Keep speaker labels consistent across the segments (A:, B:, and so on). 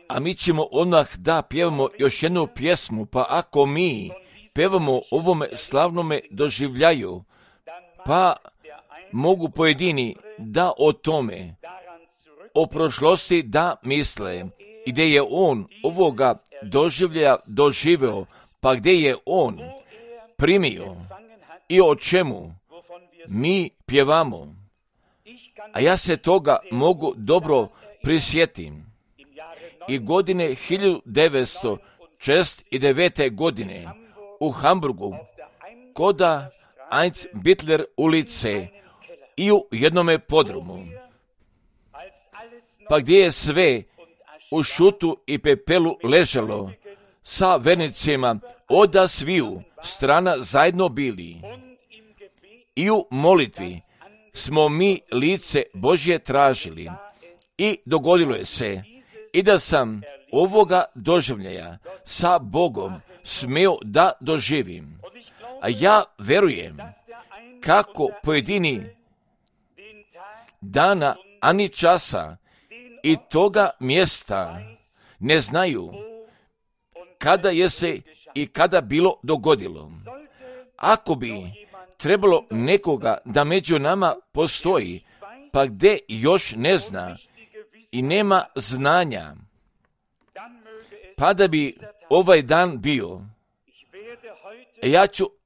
A: A mi ćemo odmah da pjevamo još jednu pjesmu, pa ako mi pjevamo ovome slavnome doživljaju, pa mogu pojedini da o tome, o prošlosti da misle, i gdje je on ovoga doživljaja doživeo, pa gdje je on primio i o čemu mi pjevamo. A ja se toga mogu dobro prisjetim. I godine 1969. godine u Hamburgu, koda Heinz Bittler ulice i u jednome podrumu, pa gdje je sve u šutu i pepelu ležalo, sa vernicima oda sviju strana zajedno bili. I u molitvi smo mi lice Božje tražili i dogodilo je se i da sam ovoga doživljaja sa Bogom smio da doživim. A ja verujem kako pojedini dana ani časa i toga mjesta ne znaju kada je se i kada bilo dogodilo. Ako bi trebalo nekoga da među nama postoji, pa gdje još ne zna i nema znanja, pa da bi ovaj dan bio,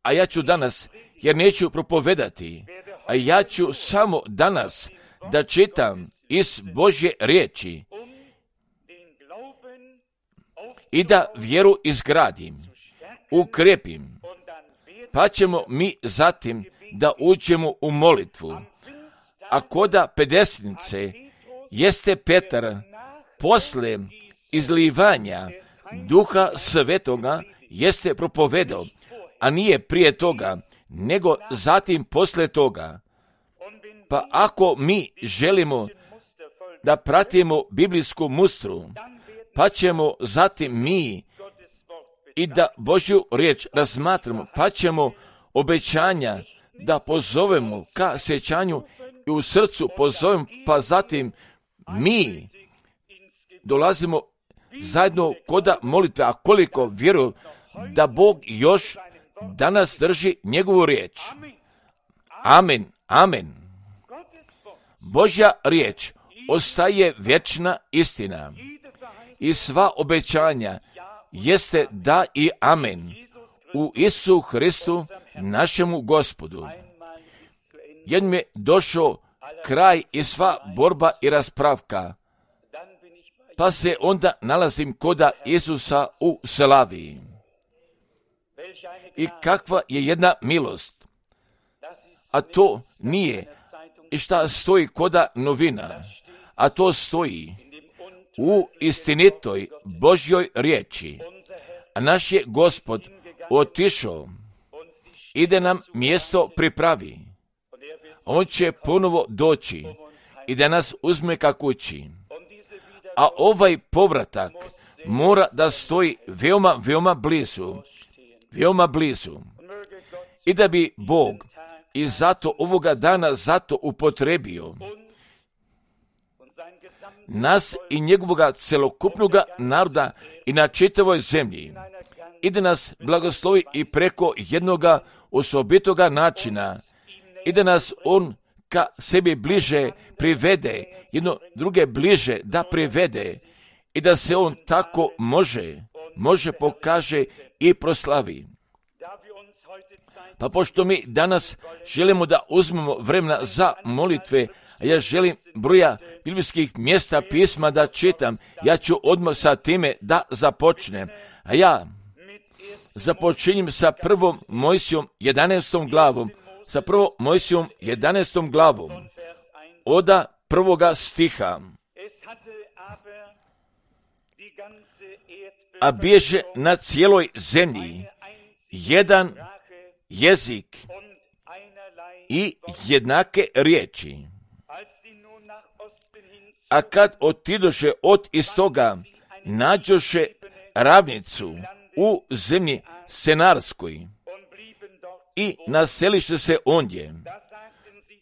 A: a ja ću danas, jer neću propovedati, a ja ću samo danas da čitam iz Božje riječi i da vjeru izgradim, ukrepim, pa ćemo mi zatim da uđemo u molitvu. A koda Pedesetnice jeste Petar posle izlivanja Duha Svetoga jeste propovedao, a nije prije toga, nego zatim posle toga. Pa ako mi želimo da pratimo biblijsku mustru, pa ćemo zatim mi i da Božju riječ razmatramo, pa ćemo obećanja da pozovemo ka sjećanju i u srcu pozovemo, pa zatim mi dolazimo zajedno koda molitve, a koliko vjeruju da Bog još danas drži njegovu riječ. Amen, amen. Božja riječ ostaje vječna istina i sva obećanja jeste da i amen u Isusu Hristu našemu Gospodu. Jednom je došao kraj i sva borba i raspravka, pa se onda nalazim koda Isusa u slavi. I kakva je jedna milost, a to nije i šta stoji koda novina, a to stoji u istinitoj Božjoj riječi. A naš je Gospod otišao i da nam mjesto pripravi. On će ponovo doći i da nas uzme ka kući. A ovaj povratak mora da stoji veoma, veoma blizu. Veoma blizu. I da bi Bog i zato ovoga dana zato upotrebio nas i njegovoga celokupnoga naroda i na čitavoj zemlji. I da nas blagoslovi i preko jednoga osobitoga načina. I da nas on ka sebi bliže privede, jedno druge bliže da privede. I da se on tako može pokaže i proslavi. Pa pošto mi danas želimo da uzmemo vremena za molitve, a ja želim broja biblijskih mjesta pisma da čitam, ja ću odmah sa time da započnem. A ja započinjem sa 1. Mojsijom 11. glavom, sa 1. Mojsijom 11. glavom, oda 1. stiha. A bježe na cijeloj zemlji jedan jezik i jednake riječi. A kad otidoše od istoga, nađoše ravnicu u zemlji Senarskoj i naseliše se ondje.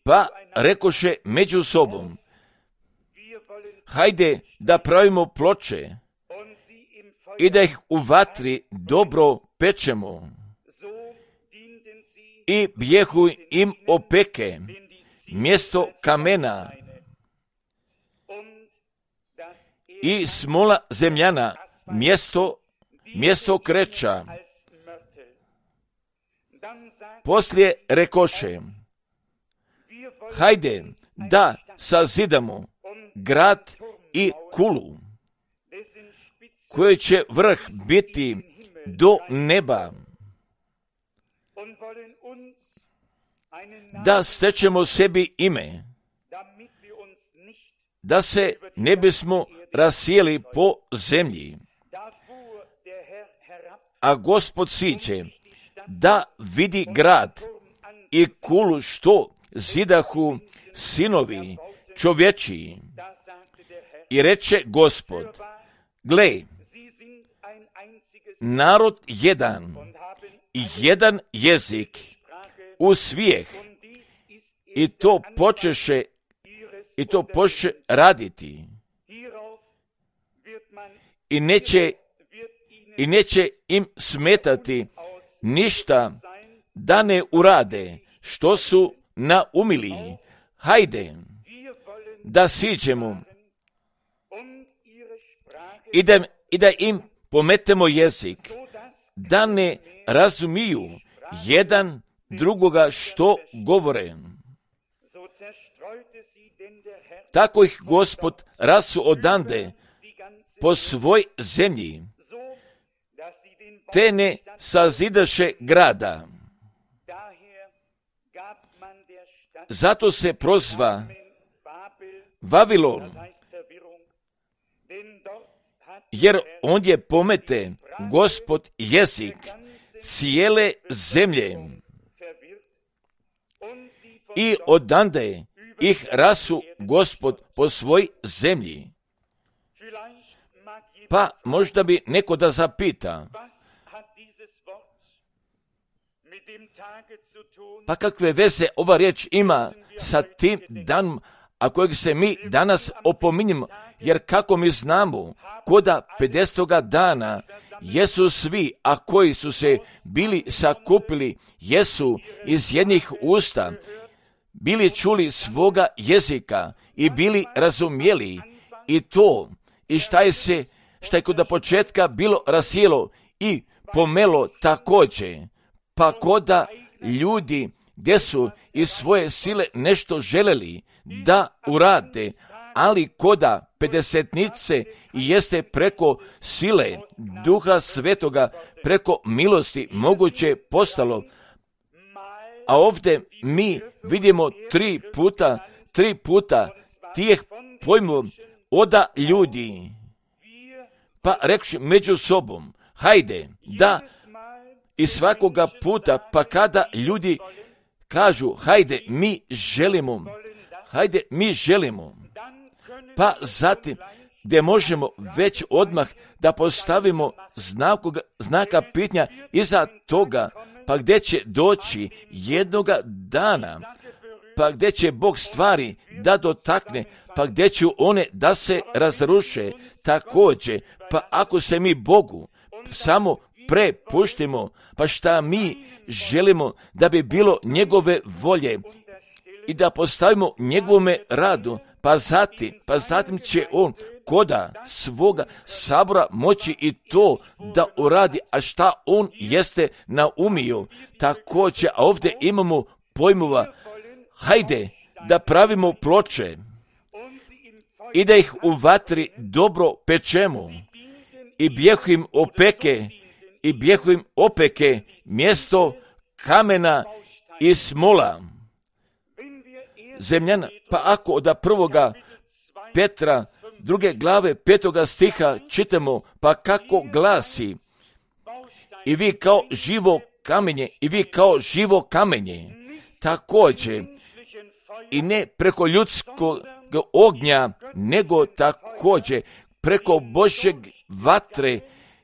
A: Pa rekoše među sobom, hajde da pravimo ploče i da ih u vatri dobro pečemo. I bjehu im opeke, mjesto kamena i smola zemljana, mjesto kreča. Poslije rekoše, hajde da sazidamo grad i kulu, koji će vrh biti do neba, da stečemo sebi ime, da se ne bismo rasijeli po zemlji. A Gospod siđe da vidi grad i kulu što zidahu sinovi čovječiji. I reče Gospod, gle, narod jedan jezik u svijeh, i to počeše raditi. I neće im smetati ništa da ne urade što su naumili. Hajde da siđemo i da im pometemo jezik, da ne razumiju jedan drugoga što govore. Tako ih Gospod rasu odande po svoj zemlji, te ne sazidaše grada. Zato se prozva Vavilon, jer ondje pomete Gospod jezik cijele zemlje i odande ih rasu Gospod po svoj zemlji. Pa možda bi neko da zapita, pa kakve veze ova riječ ima sa tim danom, a kojeg se mi danas opominjemo, jer kako mi znamo, koda 50. dana jesu svi, a koji su se bili sakupili, jesu iz jednih usta, bili čuli svoga jezika i bili razumjeli i to, i šta je kod početka bilo rasijelo i pomelo također, pa koda ljudi gdje su iz svoje sile nešto želeli da urade, ali koda pedesetnice i jeste preko sile Duha Svetoga, preko milosti moguće postalo. A ovdje mi vidimo tri puta tijeh pojmova oda ljudi, pa rekši među sobom, hajde da i svakoga puta, pa kada ljudi kažu, hajde mi želimo, pa zatim gdje možemo već odmah da postavimo znaka pitanja iza toga, pa gdje će doći jednoga dana, pa gdje će Bog stvari da dotakne, pa gdje će one da se razruše također, pa ako se mi Bogu samo prepuštimo, pa šta mi želimo da bi bilo njegove volje i da postavimo njegovome radu, pa zatim će on koda svoga sabora moći i to da uradi, a šta on jeste naumio. Također, a ovdje imamo pojmova, hajde da pravimo ploče i da ih u vatri dobro pečemo i bjehu im opeke mjesto kamena i smola zemljana. Pa ako od 1. Petra 2. glave 5. stiha čitamo, pa kako glasi, i vi kao živo kamenje, također i ne preko ljudskog ognja, nego također preko Božjeg vatre,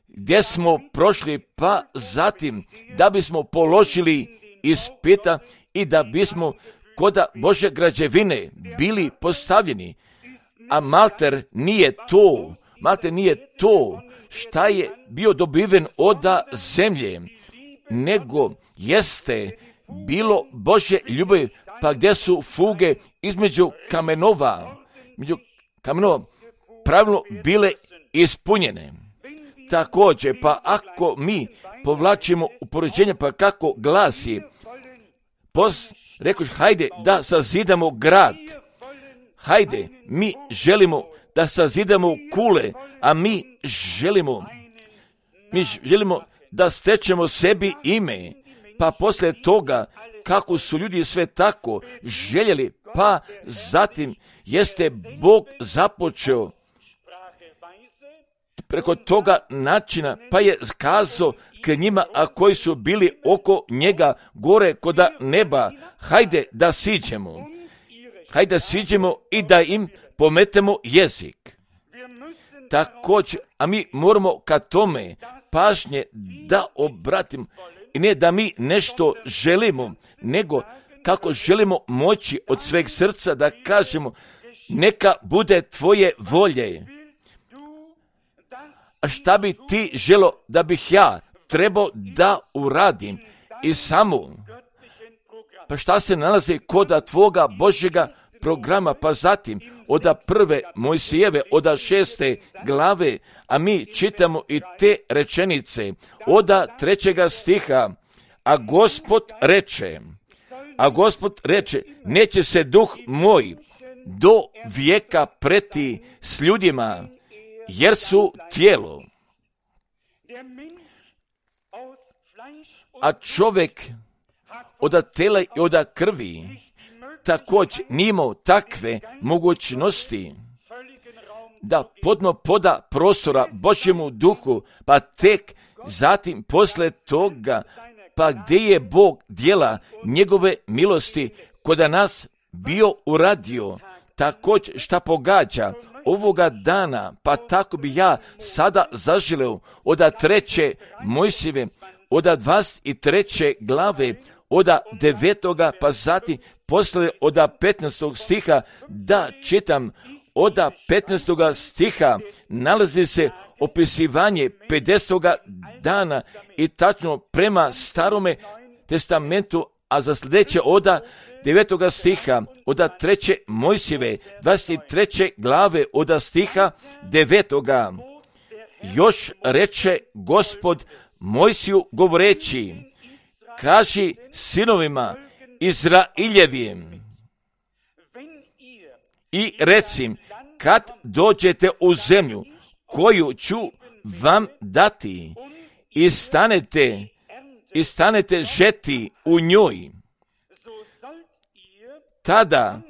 A: gdje smo prošli, pa zatim da bismo položili ispita i da bismo kod Božje građevine bili postavljeni. A Malter nije to šta je bio dobiven od zemlje, nego jeste bilo Božje ljubavi, pa gdje su fuge između kamenova pravilno bile ispunjene. Također, pa ako mi povlačimo upoređenje, pa kako glasi, rekoš, hajde da sazidamo grad, hajde, mi želimo da sazidamo kule, a mi želimo da stečemo sebi ime, pa poslije toga, kako su ljudi sve tako željeli, pa zatim jeste Bog započeo preko toga načina, pa je kazao k njima, a koji su bili oko njega gore koda neba, hajde da siđemo i da im pometemo jezik. Također, a mi moramo ka tome pažnje da obratimo, i ne da mi nešto želimo, nego kako želimo moći od sveg srca da kažemo, neka bude tvoje volje. A šta bi ti želo da bih ja trebao da uradim i samo? Pa šta se nalazi kod tvoga Božjega programa, pa zatim od prve Mojsijeve, od 6. glave, a mi čitamo i te rečenice, od 3. stiha, a Gospod reče, neće se duh moj do vijeka preti s ljudima, jer su tijelo. A čovjek od tela i od krvi također nije imao takve mogućnosti da podno poda prostora Božjemu duhu, pa tek zatim posle toga, pa gdje je Bog djela njegove milosti kod nas bio uradio, također šta pogađa ovoga dana, pa tako bi ja sada zaželeo od 3. Mojsijeve, od 23. glave, od 9. pa zatim posle od 15. stiha da čitam. Od 15. stiha nalazi se opisivanje 50. dana i tačno prema Starome testamentu, a za sljedeće od 9. stiha, od 3. Mojsijeve, 23. glave, od stiha 9. Još reče Gospod Mojsiju govoreći, kaži sinovima Izraeljevim i recim, kad dođete u zemlju koju ću vam dati i stanete žeti u njoj, tada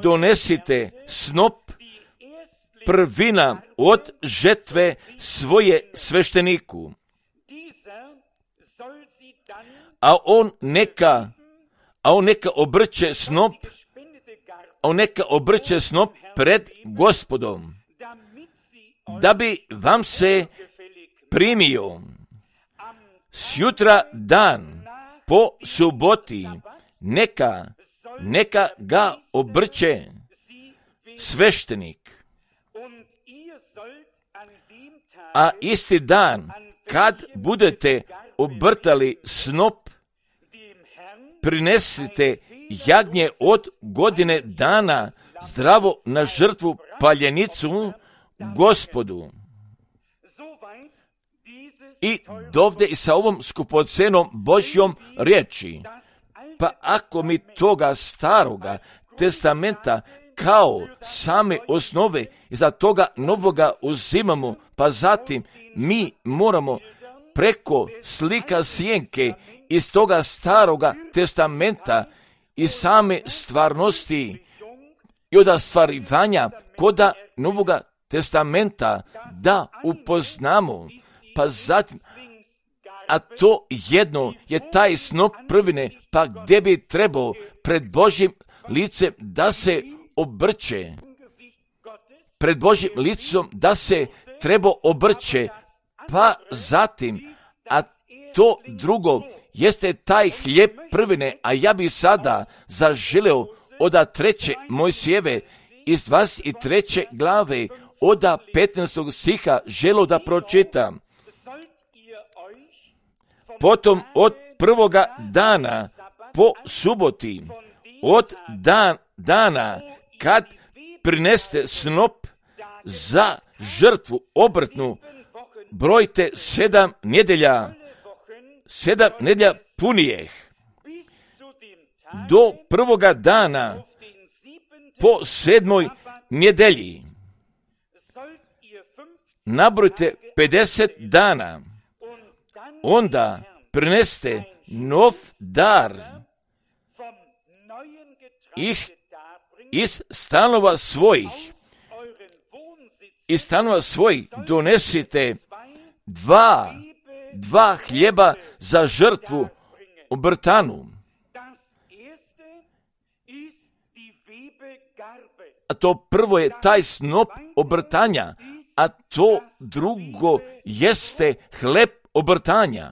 A: donesite snop prvina od žetve svoje svešteniku, a on neka obrće snop pred Gospodom, da bi vam se primio sjutra dan po suboti, neka ga obrće sveštenik. A isti dan, kad budete obrtali snop, prinesite jagnje od godine dana zdravo na žrtvu paljenicu Gospodu. I dovde i sa ovom skupocenom Božjom riječi. Pa ako mi toga staroga testamenta kao same osnove i za toga novoga uzimamo, pa zatim mi moramo preko slika sjenke iz toga staroga testamenta i same stvarnosti i od ostvarivanja koda novoga testamenta da upoznamo, pa zatim, a to jedno je taj snop prvine, pa gdje bi trebao pred Božjim licem da se obrće, pred Božjim licom da se treba obrće, pa zatim, a to drugo jeste taj hljeb prvine, a ja bi sada zaželeo od 3. Mojsijeve iz 23. glave od 15. stiha želo da pročitam. Potom od prvoga dana po suboti, od dana kad prineste snop za žrtvu obrtnu, brojte 7 nedjelja punijeh, do prvoga dana po 7. nedjelji. Nabrojte 50 dana, onda prineste nov dar iz stanova svojih. Iz stanova svojih donesite dva hljeba za žrtvu obrtanu. A to prvo je taj snop obrtanja, a to drugo jeste hleb obrtanja.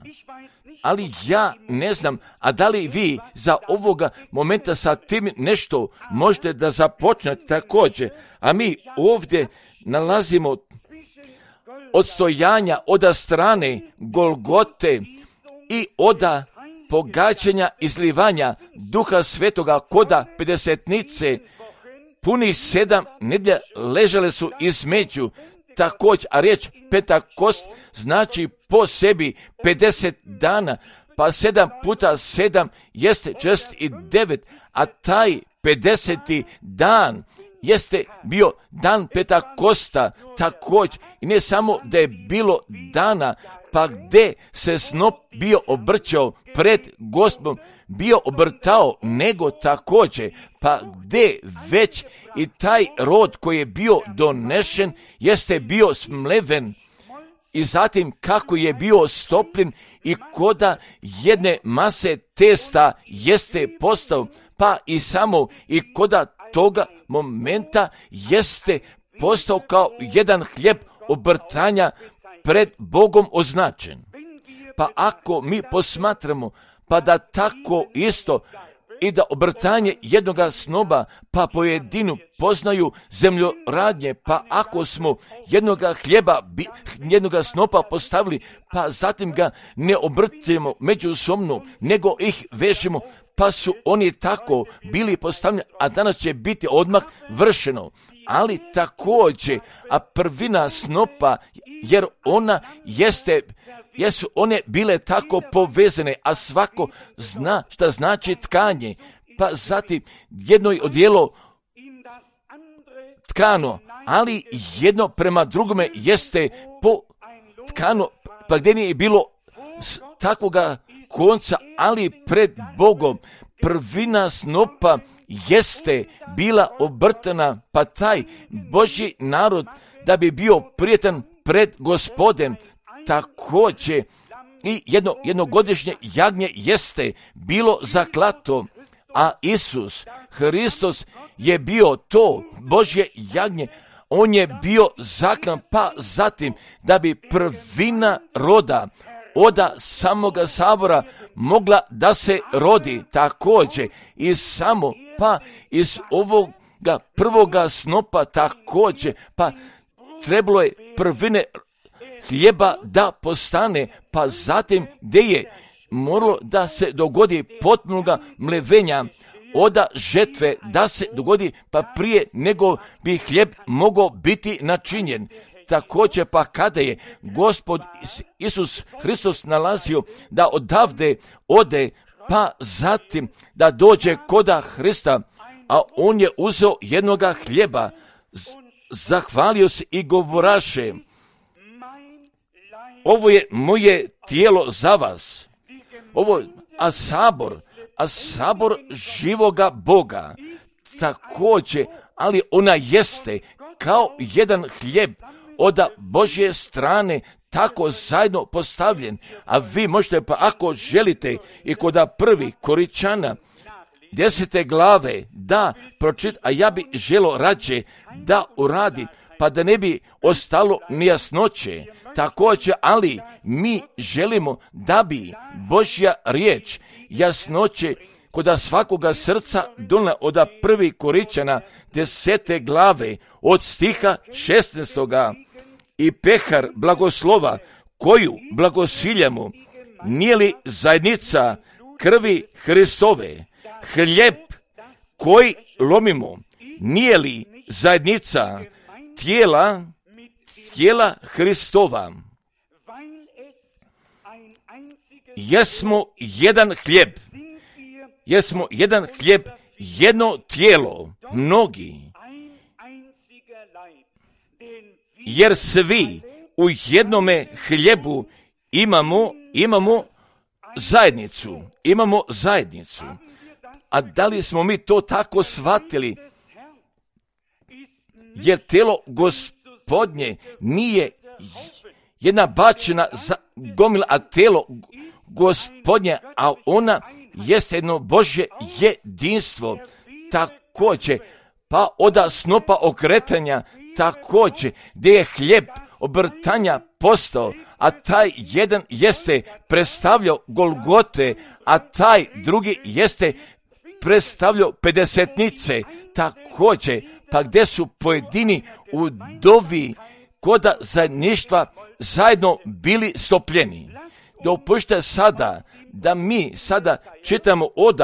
A: Ali ja ne znam, a da li vi za ovoga momenta sa tim nešto možete da započnete također, a mi ovdje nalazimo odstojanja od strane Golgote i od pogađanja izlivanja Duha Svetoga koda pedesetnice. Punih 7 nedjelja ležale su između također, a riječ Pentakost znači po sebi 50 dana, pa 7 puta 7 jeste 49, a taj 50. dan jeste bio dan Pentakosta također. I ne samo da je bilo dana, pa gdje se snop bio obrćao pred Gospodom, bio obrtao, nego također, pa gdje već i taj rod koji je bio donešen jeste bio smleven, i zatim kako je bio stopljen i koda jedne mase testa jeste postao, pa i samo i koda toga momenta jeste postao kao jedan hljeb obrtanja pred Bogom označen. Pa ako mi posmatramo, pa da tako isto i da obrtanje jednoga snoba, pa pojedinu poznaju zemljoradnje, pa ako smo jednoga snopa postavili, pa zatim ga ne obrtimo međusobno, nego ih vežemo, pa su oni tako bili postavljeni, a danas će biti odmah vršeno. Ali također, a prvina snopa, jer ona jesu one bile tako povezane, a svako zna šta znači tkanje, pa zatim jedno je odijelo tkano, ali jedno prema drugome jeste po tkano, pa gdje nije bilo takvoga konca, ali pred Bogom prvina snopa jeste bila obrtana, pa taj Božji narod da bi bio prijetan pred Gospodem također i jednogodišnje jagnje jeste bilo zaklato, a Isus Hristos je bio to Božje jagnje, on je bio zaklan, pa zatim da bi prvina roda od samoga sabora mogla da se rodi također i samo pa iz ovoga prvoga snopa također, pa trebalo je prvine hljeba da postane, pa zatim gdje je moralo da se dogodi potpunoga mlevenja od žetve, da se dogodi pa prije nego bi hljeb mogao biti načinjen. Također pa kada je Gospod Isus Hristos nalazio da odavde ode, pa zatim da dođe koda Hrista, a on je uzeo jednoga hljeba, zahvalio se i govoraše: ovo je moje tijelo za vas. A sabor živoga Boga također, ali ona jeste kao jedan hljeb od Božje strane tako zajedno postavljen, a vi možete pa ako želite i kod prvi Koričana 10. glave da pročita, a ja bi želo rađe da uradi, pa da ne bi ostalo nejasnoće. Također, ali mi želimo da bi Božja riječ jasnoće koda svakoga srca donela od 1. Korinćana 10. glave od stiha 16. I pehar blagoslova koju blagosiljamo, nije li zajednica krvi Hristove? Hljeb koji lomimo, nije li zajednica tijela Hristova? Jesmo jedan hljeb, jedno tijelo, mnogi, jer svi u jednome hljebu imamo zajednicu. A da li smo mi to tako shvatili? Jer tijelo Gospodnje nije jedna bačena gomila, a tijelo Gospodnje, a ona jeste jedno Božje jedinstvo. Također, pa od snopa okretanja, također, gdje je hljeb obrtanja postao, a taj jedan jeste predstavljao Golgote, a taj drugi jeste predstavljao pedesetnice, također, pa gdje su pojedini u dovi koda zajedništva zajedno bili stopljeni. Dopustite sada da mi sada čitamo od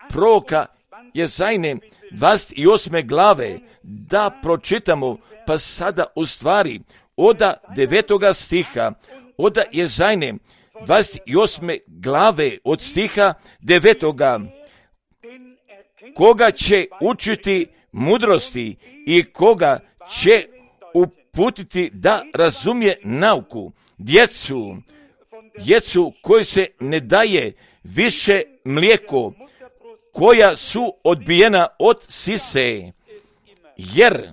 A: proroka Jezajne 28. glave, da pročitamo, pa sada u stvari od 9. stiha, od Jezajne 28. glave od stiha 9. Koga će učiti mudrosti i koga će uputiti da razumije nauku? Djecu koji se ne daje više mlijeko, koja su odbijena od sise, jer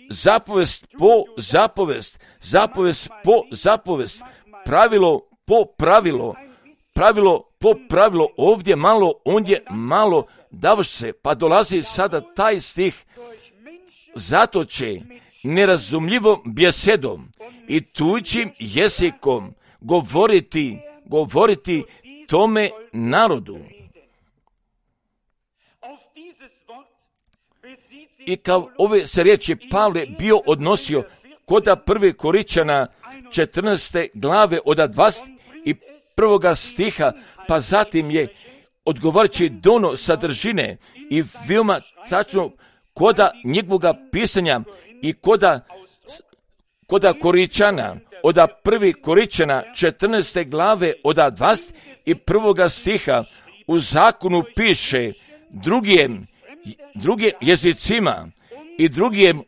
A: zapovest po zapovest, pravilo po pravilo, ovdje malo, ondje malo, davaš se, pa dolazi sada taj stih, zato će nerazumljivom bjesedom i tuđim jezikom govoriti tome narodu. I kao ove se riječi Pavle bio odnosio koda 1. Korinćana 14. glave od 21. stiha, pa zatim je odgovarajući dono sadržine i veoma tačno koda njegovoga pisanja i koda Korinćana, od 1. Korinćana 14. glave od 21. stiha u zakonu piše drugim jezicima i drugim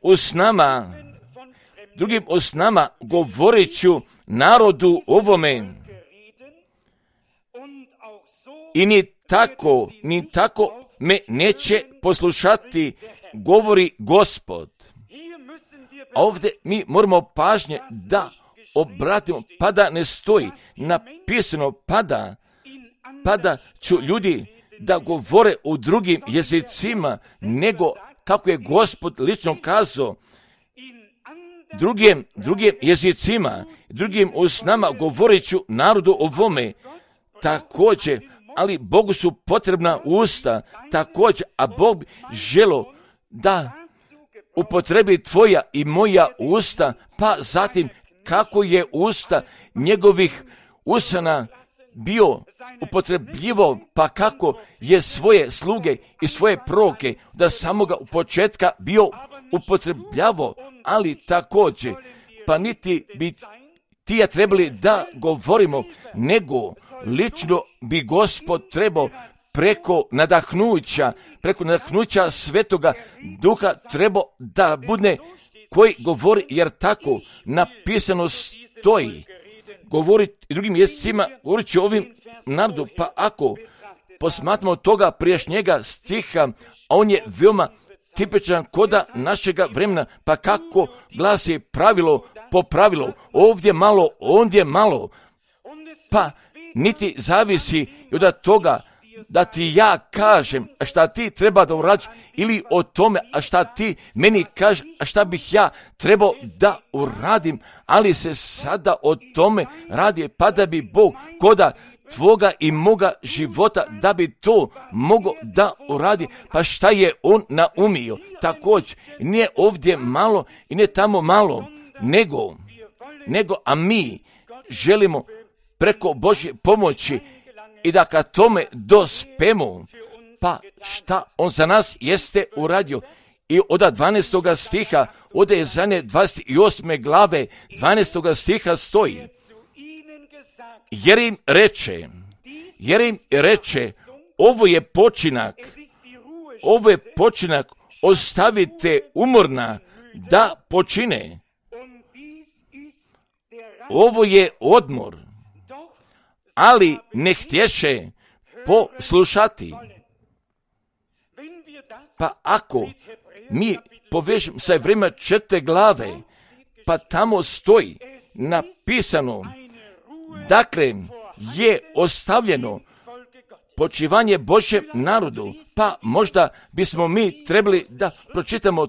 A: usnama govorit ću narodu ovome. I ni tako me neće poslušati, govori Gospod. A ovdje mi moramo pažnje da obratimo, pa da ne stoji napisano, pa da ću ljudi da govore u drugim jezicima, nego kako je Gospod lično kazao, drugim jezicima, drugim usnama govorit ću narodu ovome. Također, ali Bogu su potrebna usta, također, a Bog bi želo da upotrebi tvoja i moja usta, pa zatim kako je usta njegovih usana bio upotrebljivo, pa kako je svoje sluge i svoje proroke da samoga u početka bio upotrebljavo, ali također, pa niti bi ti ja trebali da govorimo, nego lično bi Gospod trebao preko nadahnuća Svetoga Duha trebao da bude koji govori, jer tako napisano stoji. Govoriti drugim jezicima, govorit će ovim narodu, pa ako posmatramo toga prijašnjega stiha, a on je veoma tipičan koda našega vremena, pa kako glasi pravilo po pravilu, ovdje malo, ondje malo, pa niti zavisi od toga da ti ja kažem šta ti treba da uradiš, ili o tome a šta ti meni kažeš, a šta bih ja trebao da uradim, ali se sada o tome radi, pa da bi Bog koda tvoga i moga života da bi to mogo da uradi. Pa šta je on naumio? Također, nije ovdje malo i ne tamo malo, nego a mi želimo preko Božje pomoći i da ka tome dospemo. Pa šta on za nas jeste uradio? I od 12. stiha, od Jezanje 28. glave 12. stiha stoji, jer im reče, ovo je počinak, ostavite umorna da počine. Ovo je odmor, ali ne htješe poslušati. Pa ako mi povežemo sa Hebrejima 4. glave, pa tamo stoji napisano, dakle je ostavljeno počivanje Božjem narodu, pa možda bismo mi trebali da pročitamo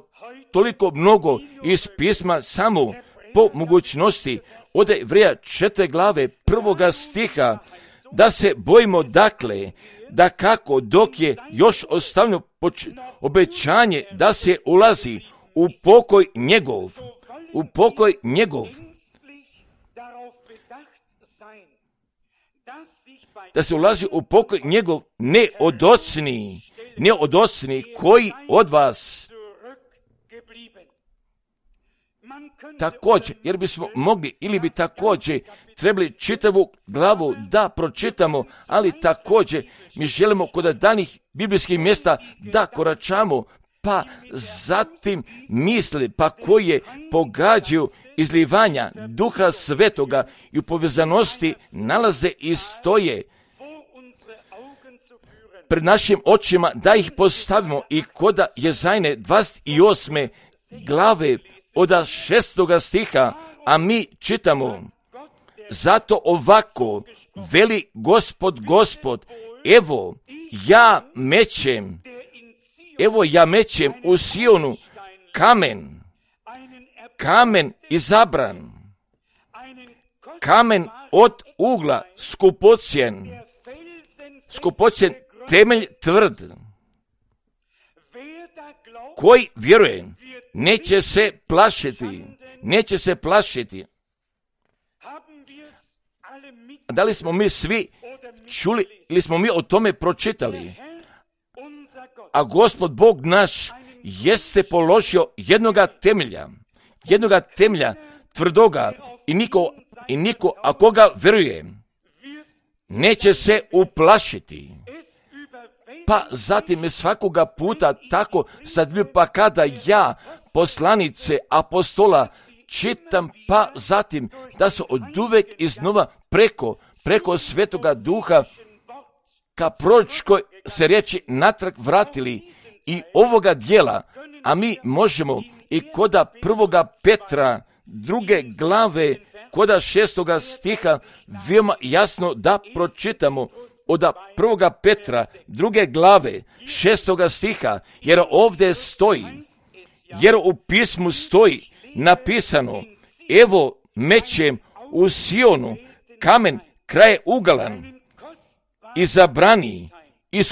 A: toliko mnogo iz pisma samo po mogućnosti od Hebrejima 4. glave 1. stiha, da se bojimo dakle, da kako dok je još ostavljeno obećanje da se ulazi u pokoj njegov, da se ulazi u pokoj njegov, ne odocni koji od vas. Također, jer bismo mogli ili bi također trebali čitavu glavu da pročitamo, ali također mi želimo kod danih biblijskih mjesta da koračamo, pa zatim misli, pa koje pogađaju izlivanja Duha Svetoga i u povezanosti nalaze i stoje pred našim očima, da ih postavimo i kod Jezajne 28. glave od 6. stiha, a mi čitamo, zato ovako veli Gospod, evo ja mećem u Sionu kamen izabran, kamen od ugla skupocjen, temelj tvrd, koji vjeruje, neće se plašiti. Da li smo mi svi čuli ili smo mi o tome pročitali? A Gospod Bog naš jeste položio jednoga temelja tvrdoga i niko a koga vjeruje neće se uplašiti. Pa zatim je svakoga puta tako sad, pa kada ja poslanice apostola čitam, pa zatim da su oduvek iznova preko Svetoga Duha ka proročkoj se riječi natrag vratili i ovoga dijela, a mi možemo i koda 1. Petra 2. glave koda 6. stiha veoma jasno da pročitamo od 1. Petra 2. glave 6. stiha, jer ovdje stoji, jer u pismu stoji napisano, evo mećem u Sionu kamen kraj ugalan, izabrani i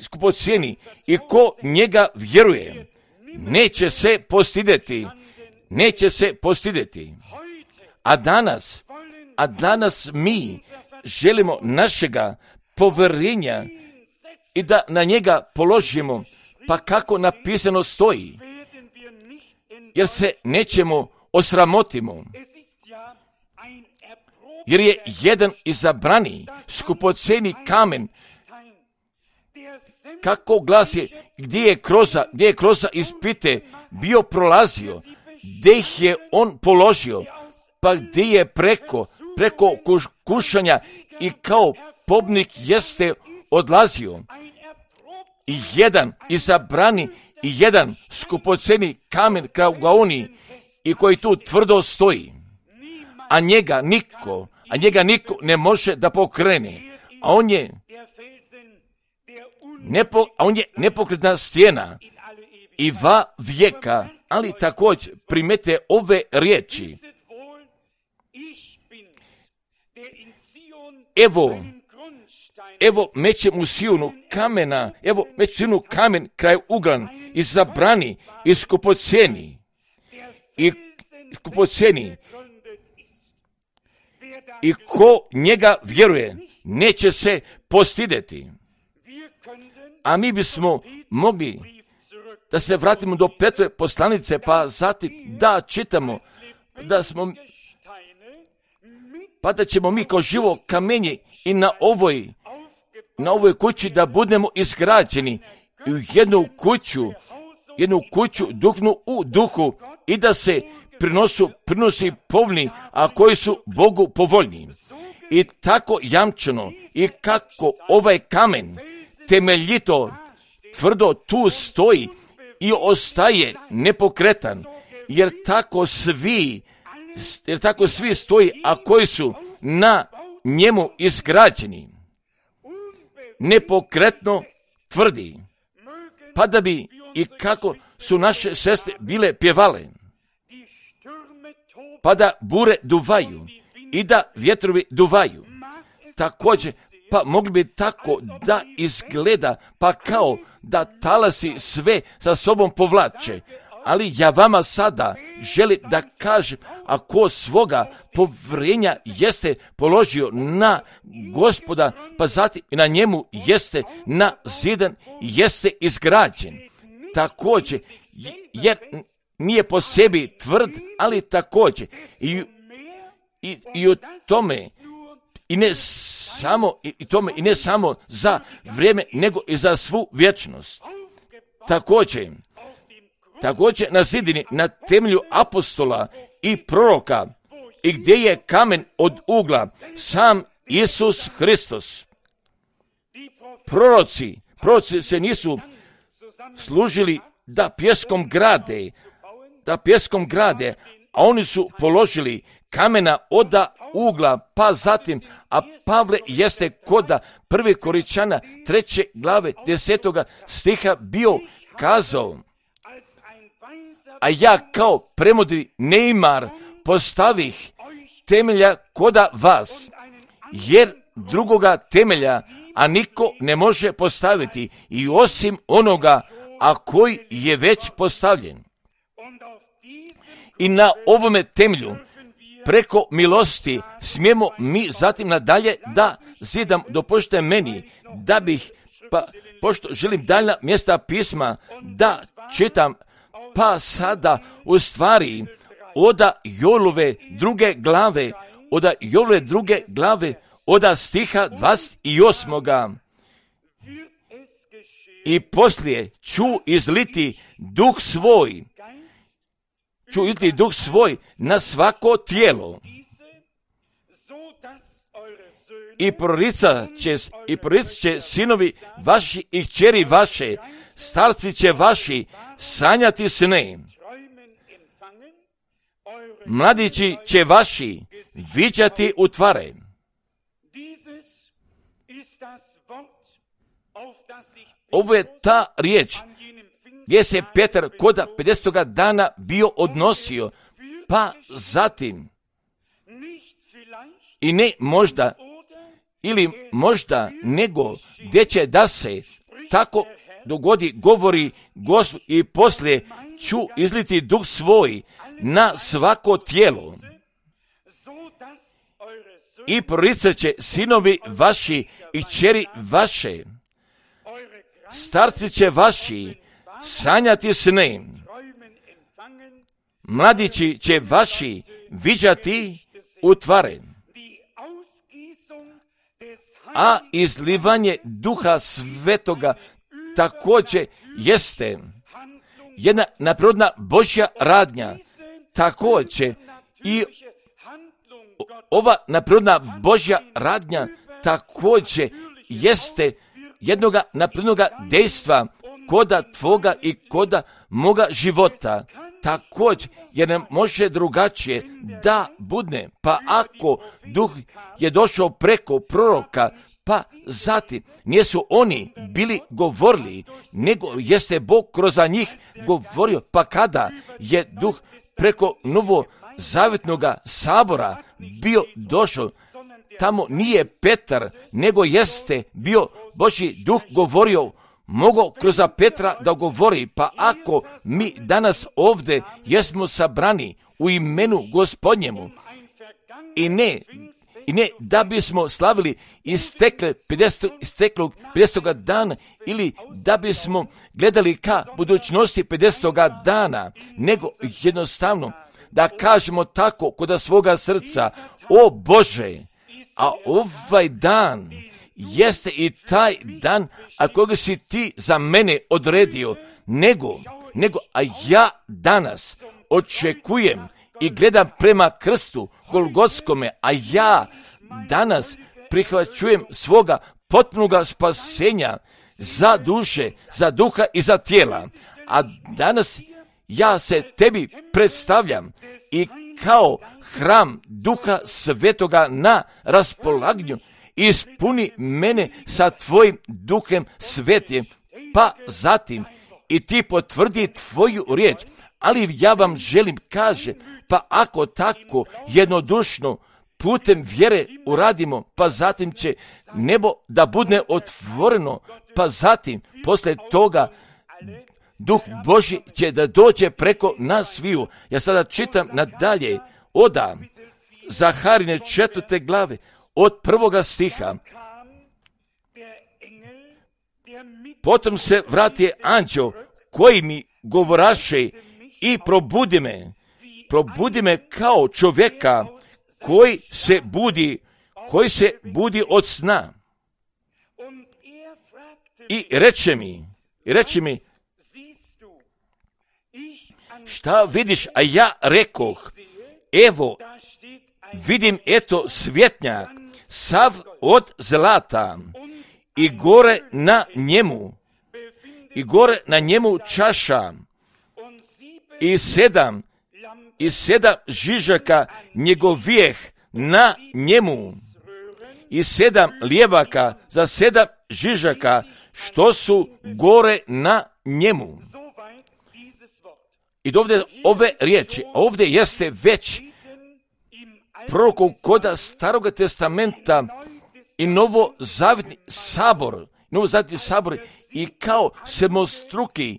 A: skupocijeni i ko njega vjeruje neće se postideti. A danas mi želimo našega povjerenja i da na njega položimo, pa kako napisano stoji, jer se nećemo osramotimo, jer je jedan izabrani skupoceni kamen, kako glasi, gdje je kroza ispite bio prolazio, gdje ih je on položio, pa gdje je preko kušanja i kao pobnik jeste odlazio. I jedan izabrani i jedan skupoceni kamen kraugaoni i koji tu tvrdo stoji, a njega niko ne može da pokrene, a on je nepokretna stijena i va vijeka. Ali također primete ove riječi, evo mećem u Sionu kamena, evo mećem u Sionu kamen kraj uglan i zabrani i skupoceni. I ko njega vjeruje, neće se postideti. A mi bismo mogli da se vratimo do Petrove poslanice, pa zatim da čitamo da ćemo mi kao živo kamenje i na ovoj kući da budemo izgrađeni u jednu kuću duhovnu u duhu i da se prinosi povni, a koji su Bogu povoljni. I tako jamčeno i kako ovaj kamen temeljito, tvrdo tu stoji i ostaje nepokretan, jer tako svi stoji, a koji su na njemu izgrađeni, nepokretno tvrdi. Pa da bi i kako su naše sestre bile pjevale, pa da bure duvaju i da vjetrovi duvaju. Također, pa mogli bi tako da izgleda, pa kao da talasi sve sa sobom povlače. Ali ja vama sada želim da kažem, ako svoga povjerenja jeste položio na Gospoda, pa zatim i na njemu jeste nazidan, jeste izgrađen. Također, jer nije po sebi tvrd, ali također i o tome i ne samo za vrijeme, nego i za svu vječnost. Također na zidini, na temelju apostola i proroka, i gdje je kamen od ugla, sam Isus Hristos. Proroci se nisu služili da pjeskom grade, a oni su položili kamena od ugla, pa zatim, a Pavle jeste koda 1. Korinčana 3. glave 10. stiha bio kazao, a ja kao premudri neimar postavih temelja koda vas, jer drugoga temelja, a niko ne može postaviti i osim onoga, a koji je već postavljen. I na ovome temelju, preko milosti, smijemo mi zatim nadalje da zidam, dopustite meni, da bih, pošto želim daljna mjesta pisma da čitam, pa sada u stvari od Joelove druge glave, od stiha 28. I poslije ću izliti duh svoj na svako tijelo. I proricat će sinovi vaši i kćeri vaše, starci će vaši sanjati sne. Mladići će vaši viđati utvare. Ovo je ta riječ gdje se Petar kod 50. dana bio odnosio, pa zatim i ne možda ili možda nego gdje će da se tako dogodi, govori Gospod, i poslije ću izliti duh svoj na svako tijelo. I proricat će sinovi vaši i kćeri vaše, starci će vaši sanjati sne, mladići će vaši viđati utvare. A izlivanje Duha Svetoga također jeste jedna nadprirodna Božja radnja. Također i ova nadprirodna Božja radnja također jeste jednoga nadprirodnoga dejstva koda tvoga i koda moga života. Također, jer ne može drugačije da budne, pa ako Duh je došao preko proroka, pa zatim nisu oni bili govorili, nego jeste Bog kroz njih govorio, pa kada je Duh preko novozavjetnoga sabora bio došao, tamo nije Petar, nego jeste bio Božji duh govorio, mogao kroz Petra da govori. Pa ako mi danas ovdje jesmo sabrani u imenu Gospodnjemu i ne da bismo slavili isteklog 50. dana ili da bismo gledali ka budućnosti 50. dana, nego jednostavno da kažemo tako kod svoga srca, o Bože, a ovaj dan jeste i taj dan, a koga si ti za mene odredio, a ja danas očekujem i gledam prema krstu Golgotskome, a ja danas prihvaćujem svoga potpunoga spasenja za duše, za duha i za tijela. A danas ja se tebi predstavljam i kao hram Duha Svetoga na raspolaganju, ispuni mene sa tvojim Duhem Svetim, pa zatim i ti potvrdi tvoju riječ. Ali ja vam želim, kaže, pa ako tako jednodušno putem vjere uradimo, pa zatim će nebo da bude otvoreno, pa zatim posle toga Duh Božji će da dođe preko nas sviju. Ja sada čitam nadalje oda Zaharine 4. glave od 1. stiha. Potom se vrati anđeo koji mi govoraše i probudi me kao čovjeka koji se budi od sna. I reče mi, šta vidiš? A ja rekoh, evo, vidim eto svjetnjak, sav od zlata, i gore na njemu čaša, i sedam žižaka njegovijeh na njemu, i 7 lijevaka za 7 žižaka, što su gore na njemu. I ovdje ove riječi, ovdje jeste već prorokov koda Staroga testamenta i novozavjetni sabor, i kao sedmostruki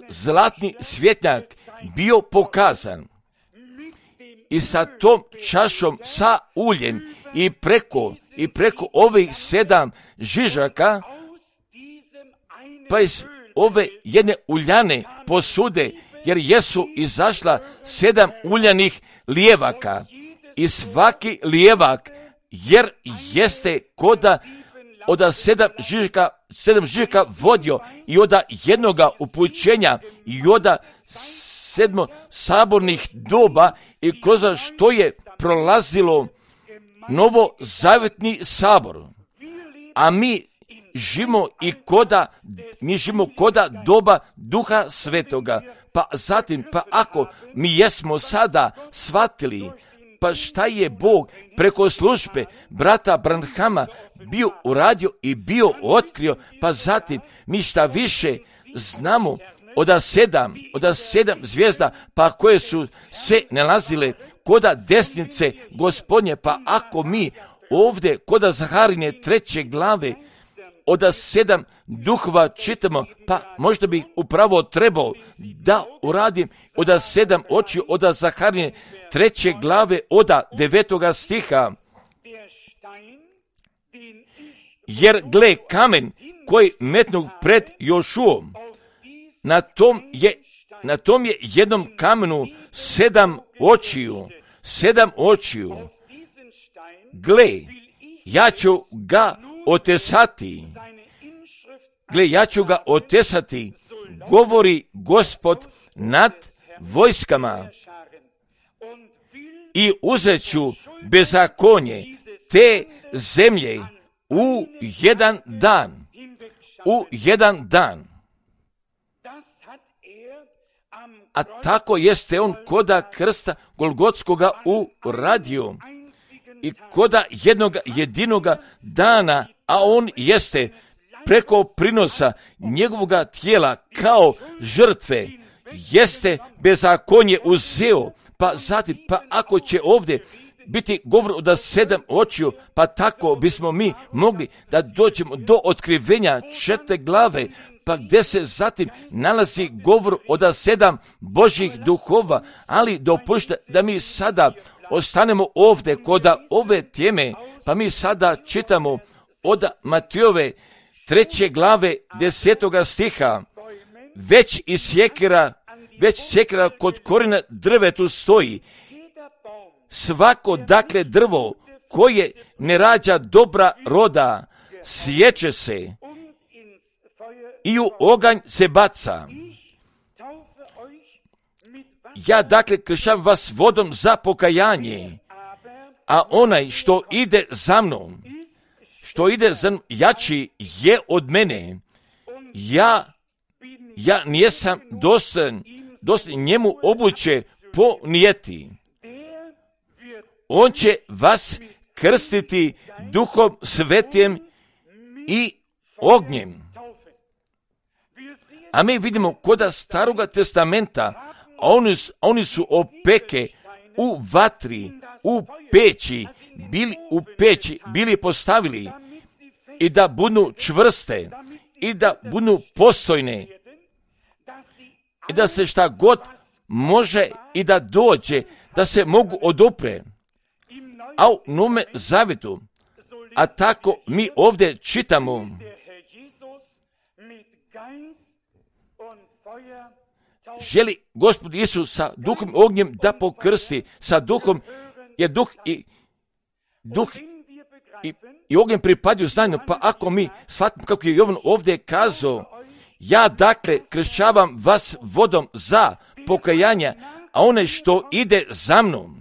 A: zlatni svjetnjak bio pokazan. I sa tom čašom sa uljem i preko ovih 7 žižaka, pa iz ove jedne uljane posude, jer jesu izašla 7 uljanih lijevaka, i svaki lijevak, jer jeste koda od 7 žižaka vodio i od jednoga upućenja i od 7 sabornih doba, i kroz što je prolazilo novozavjetni sabor. A mi živimo koda doba Duha Svetoga. Pa zatim, ako mi jesmo sada shvatili, pa šta je Bog preko službe brata Branhama bio uradio i bio otkrio, pa zatim mi šta više znamo od 7 zvijezda, pa koje su se nalazile koda desnice Gospodnje, pa ako mi ovdje koda Zaharine 3. glave od 7 duhova čitamo, pa možda bi upravo trebao da uradim od 7 oči od Zaharine 3. glave od 9. stiha. Jer gle, kamen koji metnu pred Jošuom, na tom je jednom kamenu 7 očiju. Gle, ja ću ga otesati, govori Gospod nad vojskama, i uzet ću bezakonje te zemlje u jedan dan. A tako jeste on koda krsta Golgotskoga uradio i koda jedinoga dana, a on jeste preko prinosa njegovoga tijela kao žrtve, jeste bezakonje uzeo, pa zatim, pa ako će ovdje biti govor od 7 očiju, pa tako bismo mi mogli da dođemo do otkrivenja 4 glave, pa gdje se zatim nalazi govor od 7 Božjih duhova, ali dopušte da mi sada ostanemo ovdje kod ove teme, pa mi sada čitamo od Matejove 3. glave 10. stiha. Već sjekira kod korijena drvetu stoji. Svako dakle drvo koje ne rađa dobra roda, sječe se i u oganj se baca. Ja dakle kršam vas vodom za pokajanje, a onaj što ide za mnom, jači je od mene. Ja nisam dostojan njemu obuće ponijeti. On će vas krstiti Duhom Svetim i ognjem. A mi vidimo kod Staroga testamenta, oni su opeke u vatri, u peći bili postavili i da budu čvrste i da budu postojne i da se šta god može i da dođe, da se mogu odupre. A u Novome Zavjetu, a tako mi ovdje čitamo, želi Gospod Isus sa duhom ognjem da pokrsti, sa duhom, jer duh i ognjem pripadaju znanju, pa ako mi shvatimo kako je Jovan ovdje kazao, ja dakle kršćavam vas vodom za pokajanja, a onaj što ide za mnom,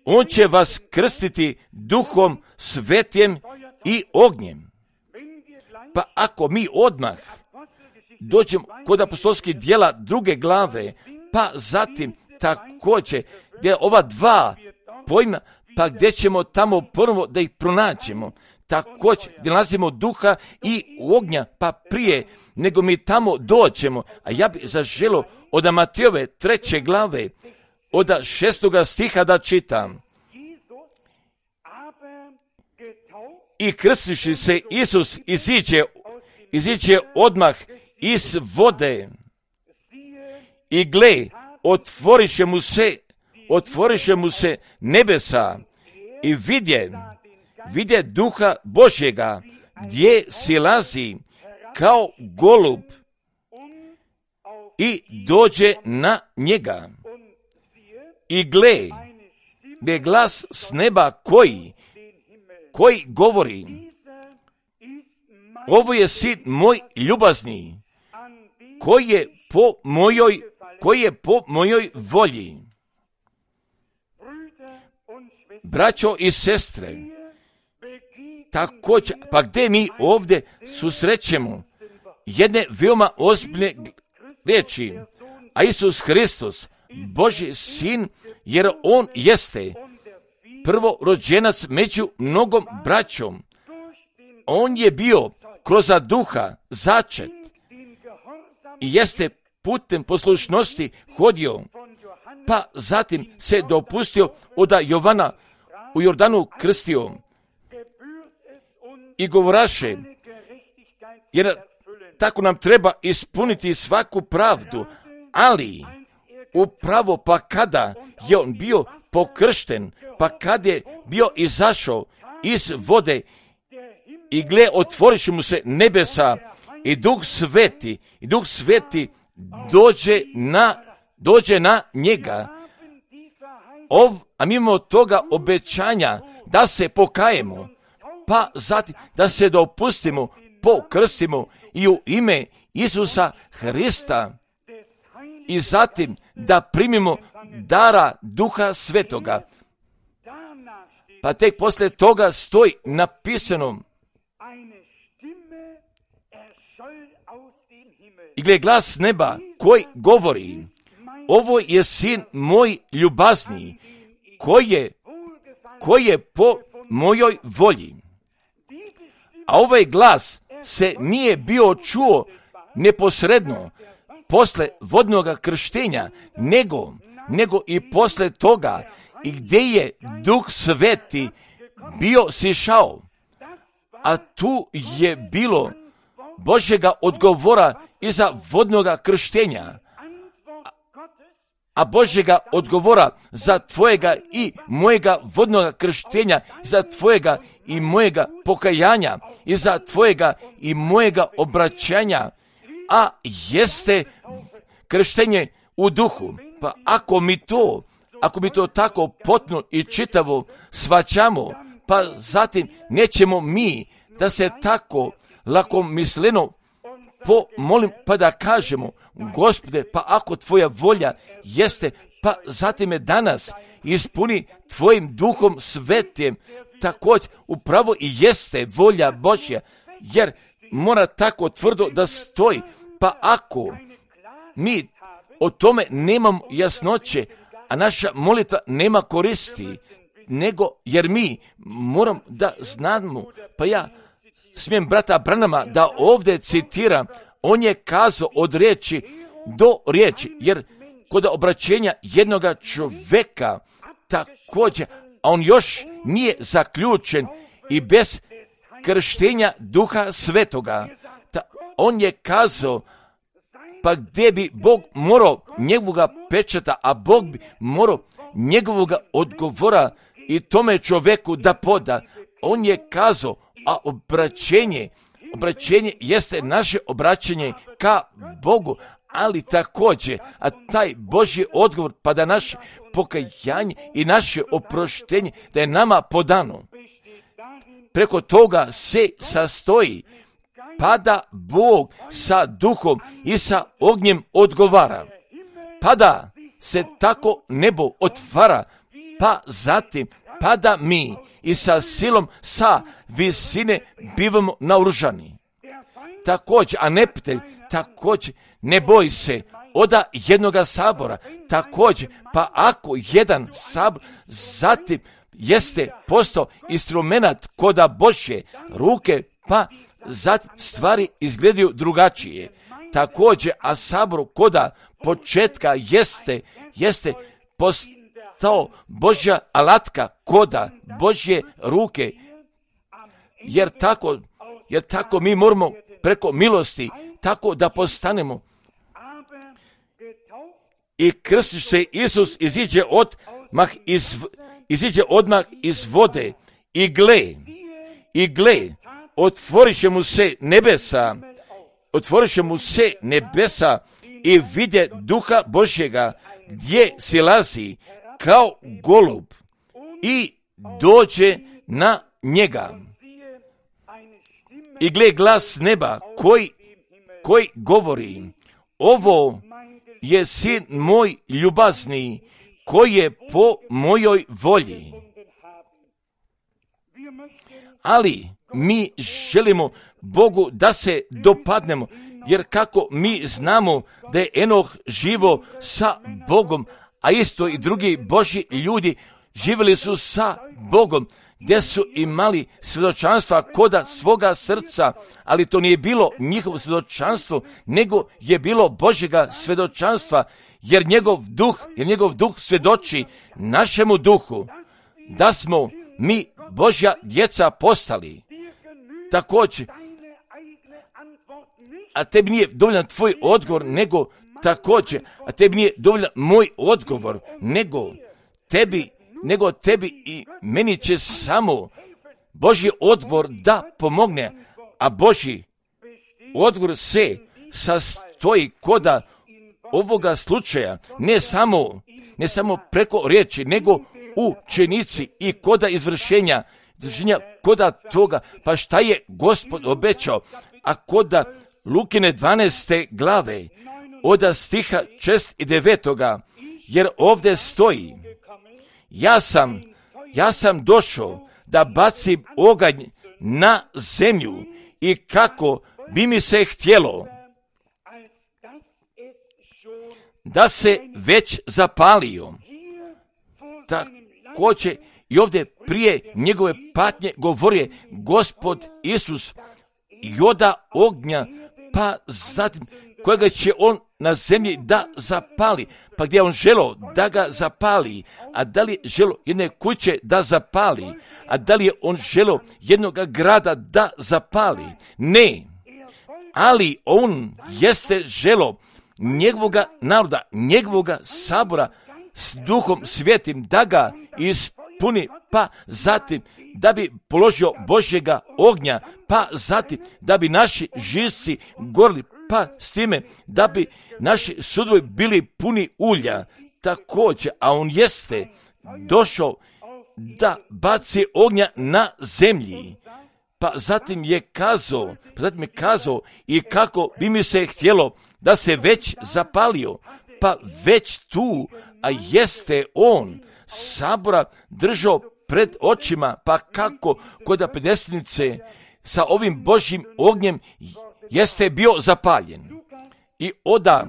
A: on će vas krstiti Duhom Svetim i ognjem. Pa ako mi odmah dođemo kod apostolskih djela 2. glave, pa zatim također gdje ova 2 pojma, pa gdje ćemo tamo prvo da ih pronađemo, također gdje nalazimo duha i ognja, pa prije nego mi tamo dođemo. A ja bih zaželio od Matejove 3. glave, od 6. stiha da čitam. I krstiši se Isus iziđe odmah iz vode i gle, otvoriše mu se nebesa i vidje Duha Božjega gdje silazi kao golub i dođe na njega. I gle glas s neba koji govori: ovo je sin moj ljubazni, koji je po mojoj volji. Braćo i sestre, također, pa gdje mi ovdje susrećemo jedne veoma ozbiljne riječi, a Isus Hristos, Božji sin, jer on jeste prvorođenac među mnogom braćom. On je bio kroz duha začet i jeste putem poslušnosti hodio, pa zatim se dopustio od Jovana u Jordanu krstio i govoraše, jer tako nam treba ispuniti svaku pravdu, ali upravo pa kada je on bio pokršten, pa kad je bio izašao iz vode i gle, otvoriše mu se nebesa i Duh Sveti dođe na njega. A mimo toga obećanja da se pokajemo, pa zatim da se dopustimo, pokrstimo i u ime Isusa Hrista i zatim da primimo dara Duha Svetoga. Pa tek poslije toga stoji napisano: i gle glas neba koji govori: ovo je sin moj ljubazni, koji je po mojoj volji. A ovaj glas se nije bio čuo neposredno posle vodnog krštenja, nego i posle toga, i gdje je Duh Sveti bio sišao, a tu je bilo Božjega odgovora iza vodnoga krštenja, a Božjega odgovora za tvojega i mojega vodnoga krštenja, za tvojega i mojega pokajanja, i za tvojega i mojega obraćanja, a jeste krštenje u duhu. Pa ako mi to tako potpuno i čitavo shvaćamo, pa zatim nećemo mi da se tako lakomisleno pomolim, pa da kažemo, Gospode, pa ako tvoja volja jeste, pa zatim me danas ispuni tvojim Duhom Svetim, također upravo i jeste volja Božja, jer mora tako tvrdo da stoji. Pa ako mi o tome nemamo jasnoće, a naša molitva nema koristi, nego jer mi moram da znamo, pa ja smijem brata Branhama da ovdje citiram, on je kazao od riječi do riječi, jer kod obraćenja jednoga čovjeka također, a on još nije zaključen i bez krštenja Duha Svetoga, on je kazao, pa gdje bi Bog morao njegovoga pečata, a Bog bi morao njegovoga odgovora i tome čovjeku da poda. On je kazao, a obraćenje jeste naše obraćanje ka Bogu, ali također, a taj Božji odgovor, pa da naše pokajanje i naše oproštenje, da je nama podano. Preko toga se sastoji, pa da Bog sa duhom i sa ognjem odgovara. Pa da se tako nebo otvara, pa zatim, pa da mi i sa silom, sa visine bivamo naoružani. Također, a neprijatelj, također, ne boji se oda jednoga sabora, također, pa ako jedan sabor zatim jeste postao instrumenat koda Božje ruke, pa zatim stvari izgledaju drugačije. Također, a sabor koda početka jeste postao Božja alatka koda Božje ruke, jer tako mi moramo preko milosti tako da postanemo. I krstiš se Isus iziđe odmah iz vode i gle, otvorit će mu se nebesa i vidje Duha Božjega gdje silazi kao golub i dođe na njega. I gle, glas neba koji govori, ovo je sin moj ljubazni, koji je po mojoj volji. Ali mi želimo Bogu da se dopadnemo, jer kako mi znamo da je Enoh živo sa Bogom, a isto i drugi Božji ljudi živjeli su sa Bogom, gdje su imali svjedočanstva koda svoga srca, ali to nije bilo njihovo svjedočanstvo, nego je bilo Božjega svjedočanstva, jer njegov duh svjedoči našemu duhu da smo mi Božja djeca postali. Također, a tebi nije dovoljan tvoj odgovor, nego također, a tebi nije dovoljan moj odgovor, nego tebi i meni će samo Božji odgovor da pomogne, a Božji odgovor se sastoji koda ovoga slučaja, ne samo preko riječi, nego u činici i koda izvršenja koda toga, pa šta je Gospod obećao, a koda Lukine 12. glave, od stiha 6 i 9. jer ovdje stoji, ja sam došao da bacim oganj na zemlju i kako bi mi se htjelo da se već zapalio. Također i ovdje prije njegove patnje govorio Gospod Isus joda ognja, pa zatim kojega će on na zemlji da zapali. Pa gdje on želo da ga zapali, a da li je želo jedne kuće da zapali, a da li je on želo jednog grada da zapali? Ne, ali on jeste želo njegovoga naroda, njegovoga sabora s Duhom Svetim da ga ispuni, pa zatim da bi položio Božjega ognja, pa zatim da bi naši živci gorili, pa s time da bi naši sudovi bili puni ulja također, a on jeste došao da baci ognja na zemlji. Pa zatim je kazao i kako bi mi se htjelo da se već zapalio, pa već tu, a jeste on sabora držao pred očima, pa kako kod apedestnice sa ovim Božjim ognjem jeste bio zapaljen. I oda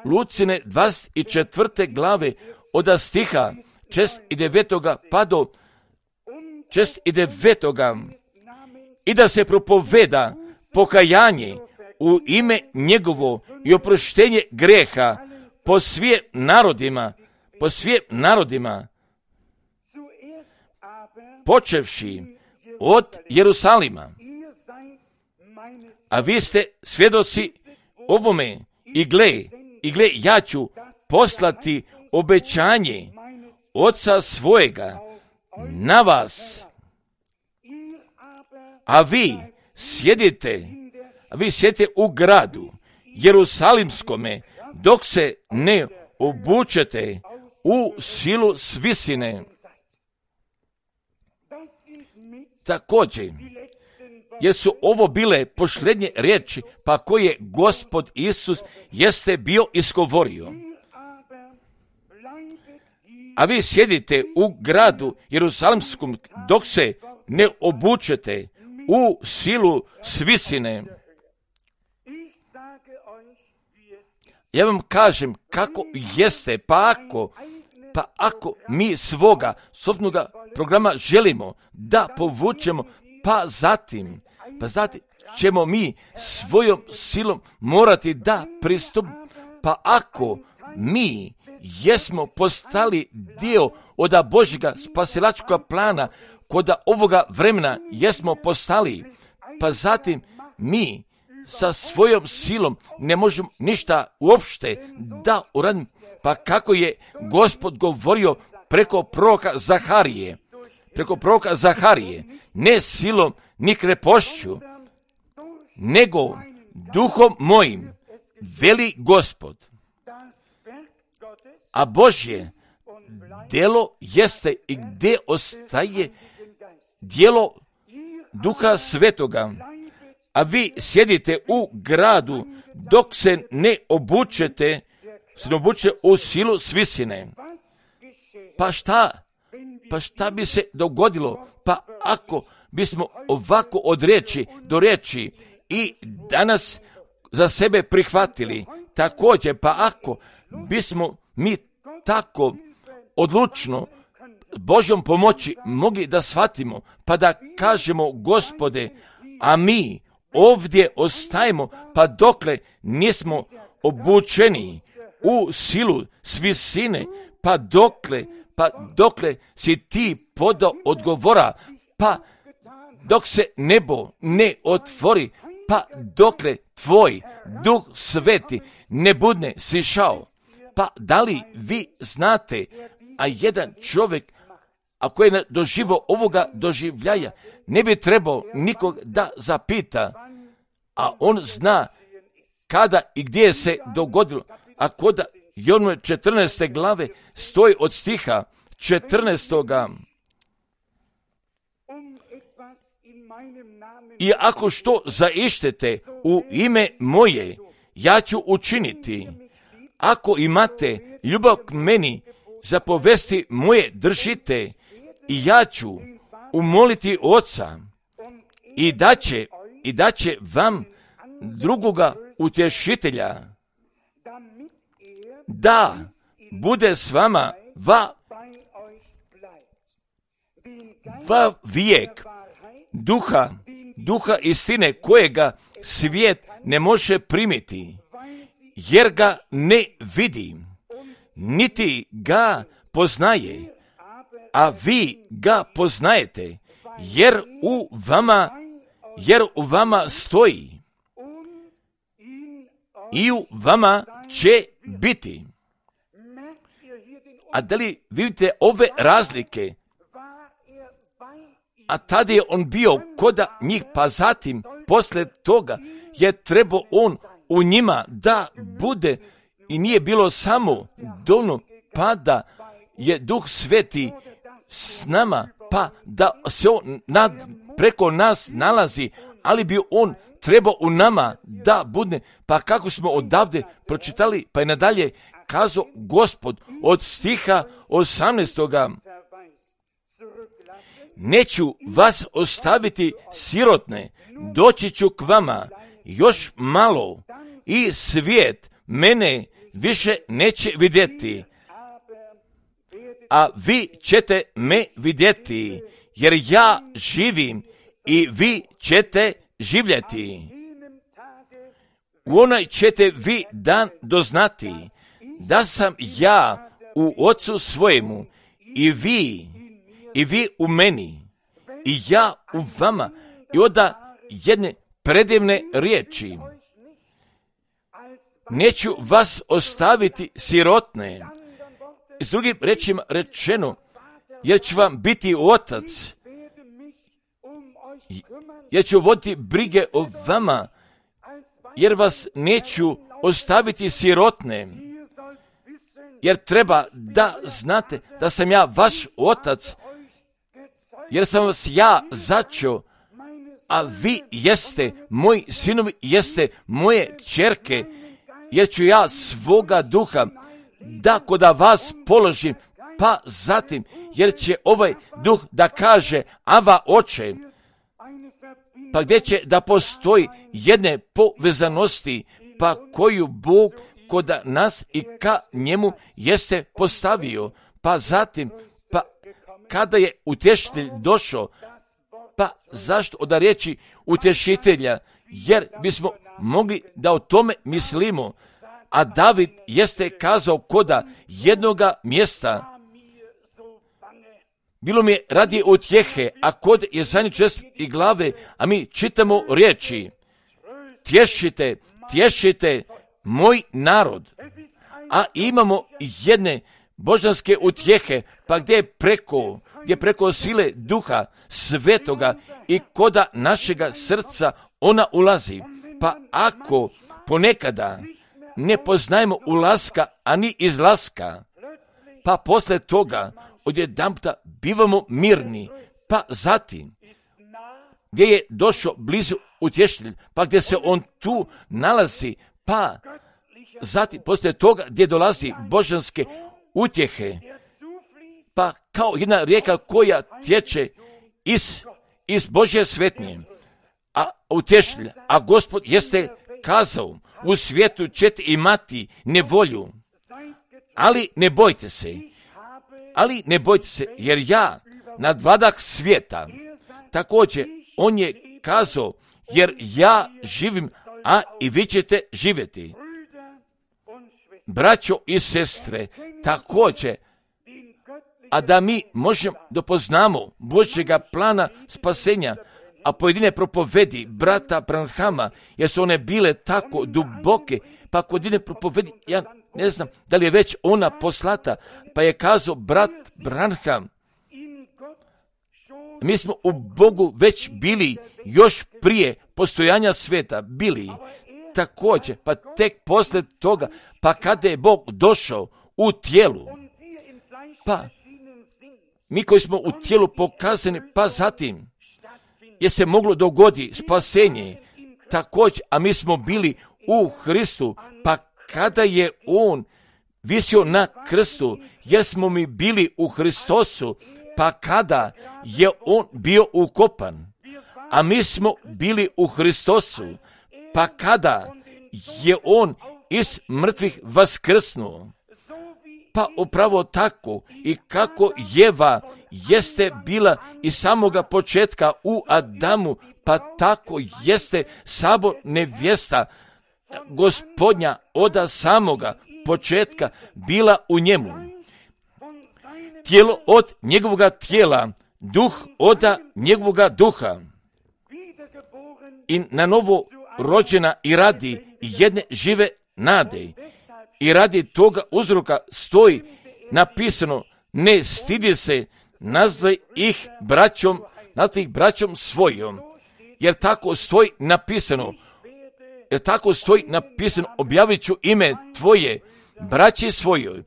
A: Lucine 24. glave, oda stiha 69. pa do 69. i da se propoveda pokajanje u ime njegovo i oproštenje greha po svim narodima, počevši od Jerusalima. A vi ste svjedoci ovome i gle, ja ću poslati obećanje Oca svojega na vas, a vi sjedite u gradu Jerusalimskome dok se ne obučete u silu s visine. Također, jer su ovo bile posljednje riječi, pa koje Gospod Isus jeste bio izgovorio. A vi sjedite u gradu Jerusalimskom dok se ne obučete u silu s visine. Ja vam kažem kako jeste, pa ako mi svoga sobstvenog programa želimo da povučemo, pa zatim ćemo mi svojom silom morati da pristupimo. Pa ako mi jesmo postali dio od Božjega spasilačkog plana, kod ovoga vremena jesmo postali, pa zatim mi sa svojom silom ne možemo ništa uopšte da uradimo. Pa kako je Gospod govorio preko proroka Zaharije, ne silom ni krepošću, nego duhom mojim, veli Gospod. A Božje djelo jeste i gdje ostaje djelo Duha Svetoga, a vi sjedite u gradu dok se ne obučete u silu s visine. Pa šta bi se dogodilo? Pa ako bismo ovako od riječi do riječi i danas za sebe prihvatili, također, pa ako bismo mi tako odlučno Božjom pomoći mogli da shvatimo, pa da kažemo Gospode, a mi ovdje ostajemo, pa dokle nismo obučeni u silu s visine, pa dokle si ti podao odgovora, pa dok se nebo ne otvori, pa dokle tvoj Duh Sveti ne budne sišao. Pa da li vi znate, a jedan čovjek, ako je doživio ovoga doživljaja, ne bi trebao nikog da zapita, a on zna kada i gdje se dogodilo. A kod Jovnove 14. glave stoji od stiha 14. I ako što zaištete u ime moje, ja ću učiniti. Ako imate ljubav k meni, zapovesti moje držite, i ja ću umoliti Oca i da će vam drugoga utješitelja da bude s vama va vijek, duha istine kojega svijet ne može primiti, jer ga ne vidi, niti ga poznaje, a vi ga poznajete, jer u vama stoji i u vama će biti. A da li vidite ove razlike? A tada je on bio kod njih, pa zatim, posle toga, je trebao on u njima da bude, i nije bilo samo dovoljno, pa da je Duh Sveti s nama, pa da se on preko nas nalazi, ali bi on trebao u nama da bude. Pa kako smo odavde pročitali, pa je nadalje kazao Gospod od stiha 18. Neću vas ostaviti sirotne, doći ću k vama još malo i svijet mene više neće vidjeti, a vi ćete me vidjeti, jer ja živim i vi ćete živjeti. U onaj ćete vi dan doznati da sam ja u Ocu svojemu i vi u meni i ja u vama. I onda jedne predivne riječi: neću vas ostaviti sirotne. S drugim rečima rečeno, jer ću vam biti otac, jer ću voditi brige o vama, jer vas neću ostaviti sirotne, jer treba da znate da sam ja vaš otac, jer sam vas ja začeo, a vi jeste moji sinovi, jeste moje ćerke, jer ću ja svoga duha da koda vas položim, pa zatim, jer će ovaj duh da kaže Ava Oče, pa gdje će da postoji jedne povezanosti, pa koju Bog koda nas i ka njemu jeste postavio. Pa zatim, pa kada je utješitelj došao, pa zašto od riječi utješitelja? Jer bismo mogli da o tome mislimo, a David jeste kazao koda jednoga mjesta: bilo mi je radi utjehe, a kod Jesaja 6. glave, a mi čitamo riječi: tješite moj narod. A imamo jedne božanske utjehe, pa gdje preko sile Duha Svetoga i koda našega srca ona ulazi. Pa ako ponekada ne poznajemo ulaska, ani izlaska, pa posle toga odjedanputa bivamo mirni, pa zatim gdje je došao blizu utješitelj, pa gdje se on tu nalazi, pa zatim posle toga gdje dolazi božanske utjehe, pa kao jedna rijeka koja tječe iz Božje svetnje, a utješitelj, a Gospod jeste kazao: u svijetu ćete imati nevolju, ali ne bojte se, jer ja nadvladah svijeta. Također, on je kazao: jer ja živim, a i vi ćete živjeti. Braćo i sestre, također, a da mi možemo da poznamo Božjega plana spasenja, a pojedine propovedi brata Branhama, jer su one bile tako duboke, pa pojedine propovedi, ja ne znam da li je već ona poslata, pa je kazao brat Branham: mi smo u Bogu već bili još prije postojanja sveta, bili također, pa tek posle toga, pa kada je Bog došao u tijelu, pa mi koji smo u tijelu pokazani, pa zatim je se moglo dogoditi spasenje također, a mi smo bili u Hristu, pa kada je on visio na krstu, jer smo mi bili u Hristosu, pa kada je on bio ukopan, a mi smo bili u Hristosu, pa kada je on iz mrtvih vaskrsnuo, pa upravo tako i kako Jeva jeste bila iz samoga početka u Adamu, pa tako jeste sabor nevjesta Gospodnja od samoga početka bila u njemu. Tijelo od njegovoga tijela, duh od njegovoga duha. I na novo rođena i radi jedne žive nade. I radi toga uzroka stoji napisano, ne stidi se, nazvaj ih braćom svojom. Jer tako stoji napisano, objavit ću ime tvoje, braći svojoj.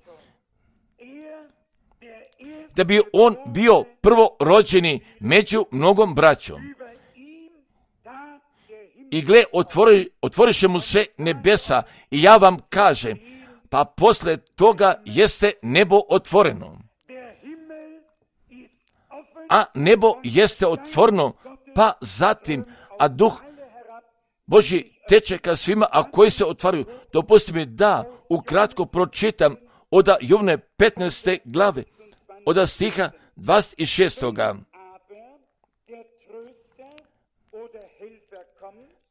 A: Da bi on bio prvorođeni među mnogom braćom. I gle, otvoriše mu se nebesa i ja vam kažem, pa posle toga jeste nebo otvoreno. A nebo jeste otvoreno, pa zatim, a duh Božji teče ka svima, a koji se otvaraju. Dopusti mi da ukratko pročitam od Jovne 15. glave, od stiha 26.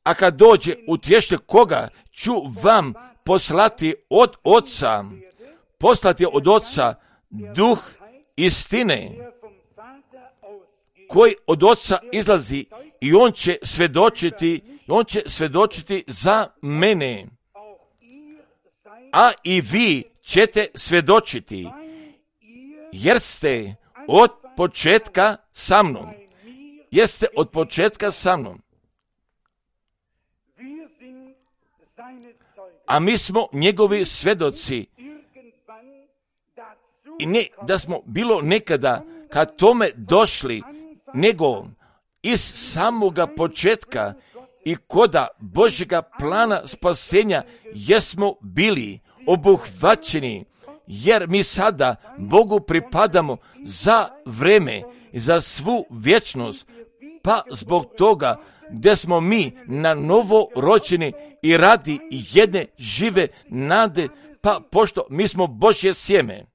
A: A kad dođe utješitelj koga ću vam poslati od Oca, duh istine, koji od Oca izlazi i on će svjedočiti za mene. A i vi ćete svjedočiti, jer ste od početka sa mnom. A mi smo njegovi svjedoci. I ne da smo bilo nekada kad tome došli, nego iz samoga početka i koda Božjega plana spasenja jesmo bili obuhvaćeni, jer mi sada Bogu pripadamo za vreme i za svu vječnost, pa zbog toga gdje smo mi na novo rođeni i radi jedne žive nade, pa pošto mi smo Božje sjeme.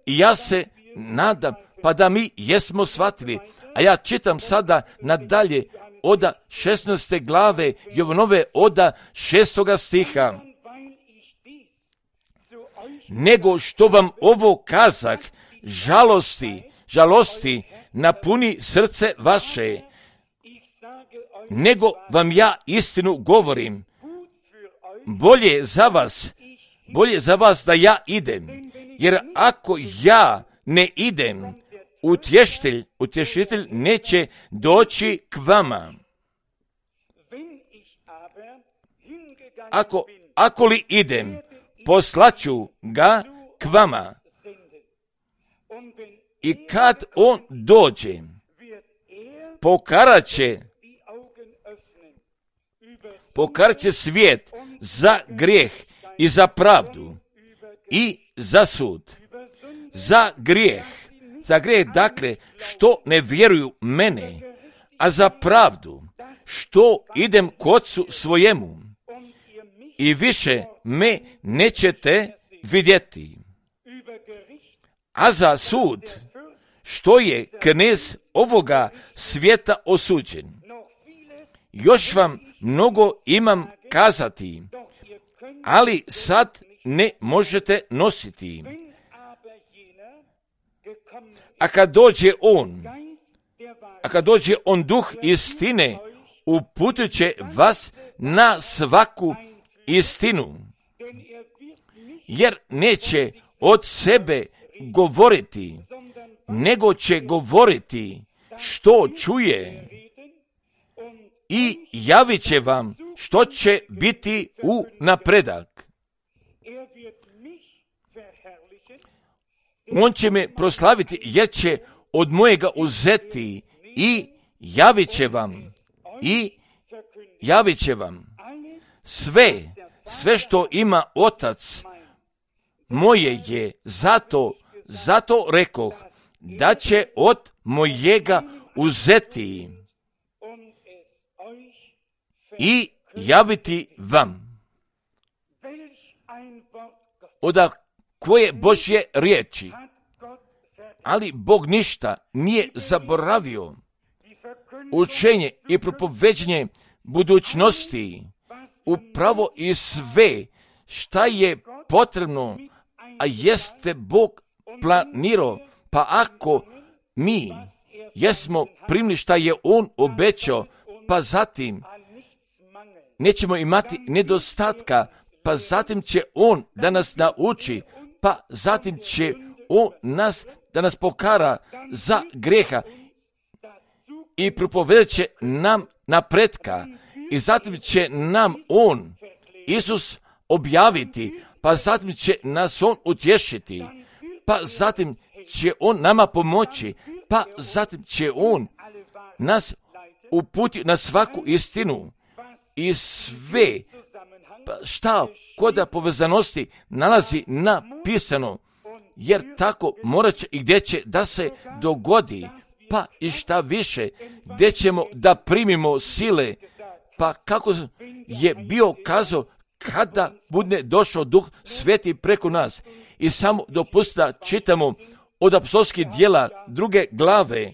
A: I ja se nadam, pa da mi jesmo shvatili, a ja čitam sada nadalje od 16. glave Jovanove od 6. stiha. Nego što vam ovo kazah, žalosti napuni srce vaše, nego vam ja istinu govorim, bolje za vas da ja idem, jer ako ja ne idem, utješitelj neće doći k vama. Ako li idem, poslaću ga k vama. I kad on dođe, pokaraće svijet za grijeh i za pravdu i za sud. Za grijeh, dakle, što ne vjeruju mene, a za pravdu, što idem k Otcu svojemu i više me nećete vidjeti. A za sud, što je knez ovoga svijeta osuđen. Još vam mnogo imam kazati, ali sad ne možete nositi. A kad dođe on duh istine, uputit će vas na svaku istinu, jer neće od sebe govoriti, nego će govoriti što čuje i javit će vam što će biti u napredak. On će me proslaviti jer će od mojega uzeti i javit će vam sve što ima Otac moje je, zato rekoh da će od mojega uzeti i javiti vam. Od koje Božje riječi, ali Bog ništa nije zaboravio. Učenje i propoveđenje budućnosti upravo i sve šta je potrebno, a jeste Bog planirao, pa ako mi jesmo primili šta je On obećao, pa zatim nećemo imati nedostatka, pa zatim će On da nas nauči, pa zatim će On da nas pokara za greha i propovedat će nam napretka i zatim će nam On, Isus, objaviti, pa zatim će nas On utješiti, pa zatim će On nama pomoći, pa zatim će On nas uputiti na svaku istinu i sve šta kod povezanosti nalazi napisano, jer tako morat će i gdje će da se dogodi, pa i šta više, gdje ćemo da primimo sile, pa kako je bio kazao, kada bude došao Duh Sveti preko nas. I samo dopustite da čitamo od apostolskih djela 2. glave,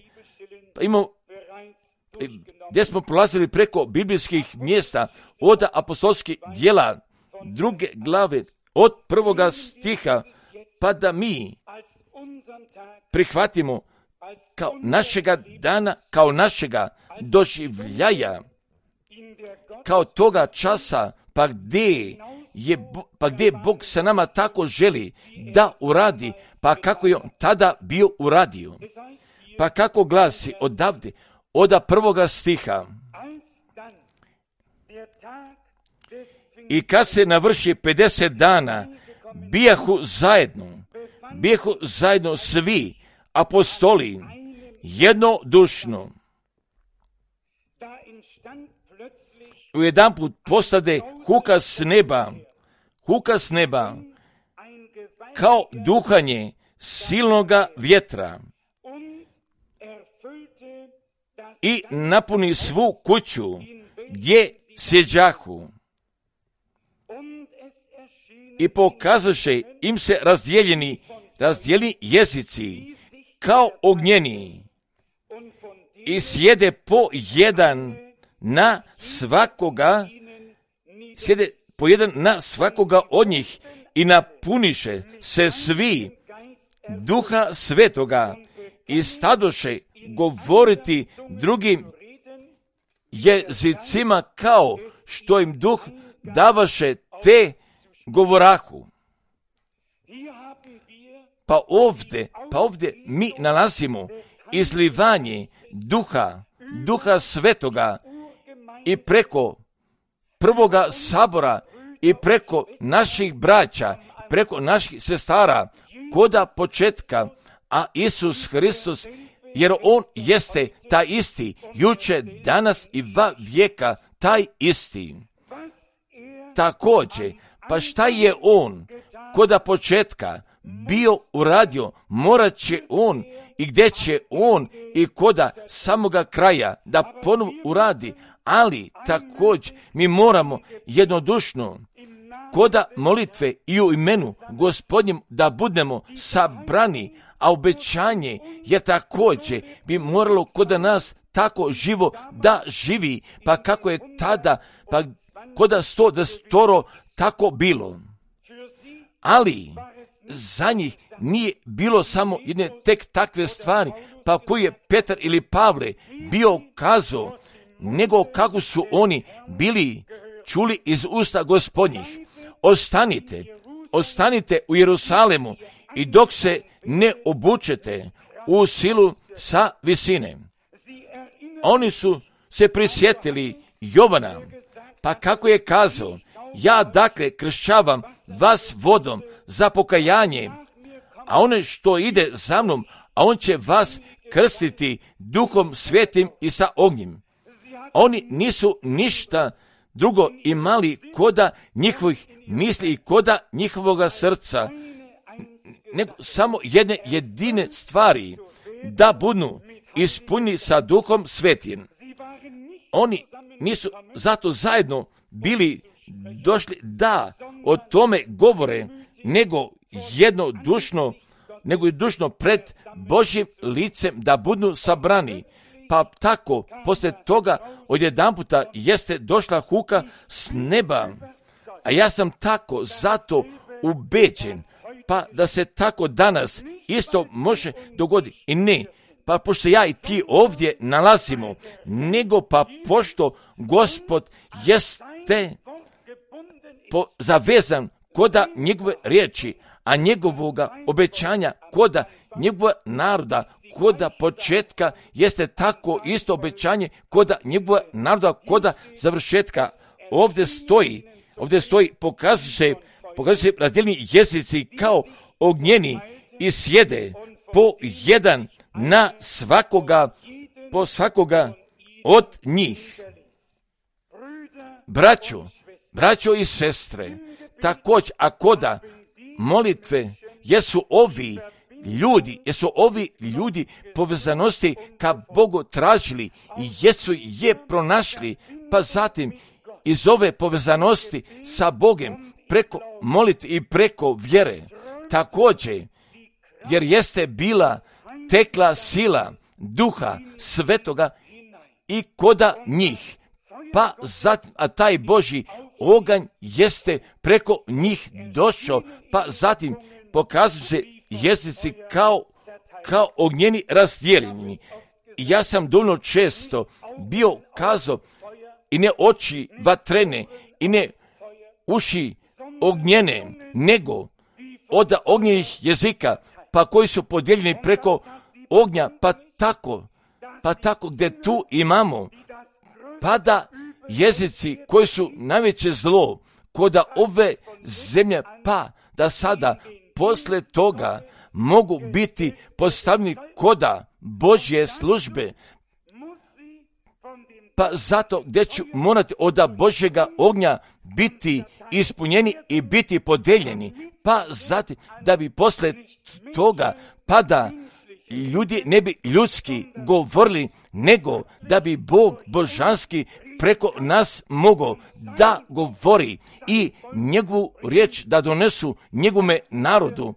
A: pa imamo, gdje smo prolazili preko biblijskih mjesta, od apostolskih djela 2. glave, od 1. stiha, pa da mi prihvatimo kao našega dana, kao našega doživljaja, kao toga časa, pa gdje Bog sa nama tako želi da uradi, pa kako je On tada bio uradio. Pa kako glasi odavde, od 1. stiha. I kad se navrši 50 dana, bijahu zajedno svi apostoli jednodušno. U jedan put postade huka s neba, kao duhanje silnoga vjetra i napuni svu kuću gdje sjeđahu. I pokazaše im se razdijeljeni jezici kao ognjeni i sjede po jedan na svakoga od njih i napuniše se svi Duha Svetoga i stadoše govoriti drugim jezicima kao što im Duh davaše te govorahu. Pa ovdje mi nalazimo izlivanje Duha Svetoga i preko prvoga sabora i preko naših braća, preko naših sestara, koda početka, a Isus Hristos, jer On jeste taj isti, juče, danas i va vijeka taj isti. Također, pa šta je On koda početka bio uradio, morat će On i gdje će On i koda samoga kraja da ponovo uradi, ali također mi moramo jednodušno koda molitve i u imenu Gospodnjem da budemo sabrani, a obećanje je također bi moralo koda nas tako živo da živi, pa kako je tada, pa koda 100 tako bilo. Ali za njih nije bilo samo jedne tek takve stvari, pa koji je Petar ili Pavle bio kazao, nego kako su oni bili čuli iz usta Gospodnjih. Ostanite u Jerusalemu i dok se ne obučete u silu sa visine. Oni su se prisjetili Jovana, pa kako je kazao, ja dakle kršćavam vas vodom za pokajanje, a one što ide za mnom, a on će vas krstiti Duhom Svetim i sa ognjem. Oni nisu ništa drugo imali koda njihovih misli i koda njihovoga srca, nego samo jedne jedine stvari, da budu ispunjeni sa Duhom Svetim. Oni nisu zato zajedno bili došli da o tome govore, nego jednodušno pred Božjim licem da budu sabrani. Pa tako, poslije toga, odjedanputa jeste došla huka s neba. A ja sam tako zato ubeđen, pa da se tako danas isto može dogoditi. I ne, pa pošto ja i ti ovdje nalazimo, nego pa pošto Gospod jeste zavezan koda njegove riječi, a njegovoga obećanja koda njegova naroda, koda početka jeste tako isto obećanje koda njegova naroda, koda završetka. Ovdje stoji, pokazuje se razdijeljeni jezici kao ognjeni i sjede po jedan na po svakoga od njih. Braćo i sestre, također, a koda molitve jesu ovi ljudi povezanosti ka Bogu tražili i jesu je pronašli, pa zatim iz ove povezanosti sa Bogom preko molitve i preko vjere također, jer jeste bila tekla sila Duha Svetoga i koda njih, pa zatim, a taj Božji oganj jeste preko njih došao, pa zatim pokazuju se jezici kao ognjeni razdijeljeni. I ja sam dovoljno često bio kazao i ne oči vatrene i ne uši ognjene, nego od ognjenih jezika, pa koji su podijeljeni preko ognja, pa tako gdje tu imamo, pa da jezici koji su najveće zlo koda ove zemlje, pa da sada posle toga mogu biti postavljeni koda Božje službe, pa zato gdje ću morati od Božjega ognja biti ispunjeni i biti podeljeni, pa zatim da bi posle toga, pa da ljudi ne bi ljudski govorili, nego da bi Bog božanski preko nas mogao da govori i njegovu riječ da donesu njegovome narodu.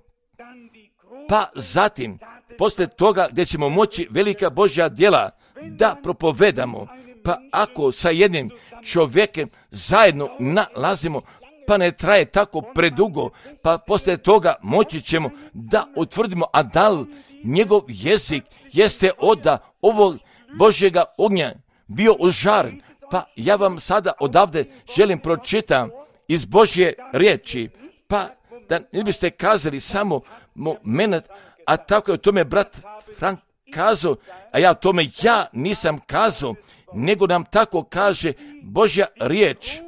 A: Pa zatim, posle toga gdje ćemo moći velika Božja djela da propovedamo, pa ako sa jednim čovjekom zajedno nalazimo, pa ne traje tako predugo, pa posle toga moći ćemo da utvrdimo, a da li njegov jezik jeste od ovog Božjega ognja bio užaren. Pa ja vam sada odavde želim pročitam iz Božje riječi, pa da ne biste kazali samo moment, a tako je o tome brat Frank kazao, a ja o tome nisam kazao, nego nam tako kaže Božja riječ,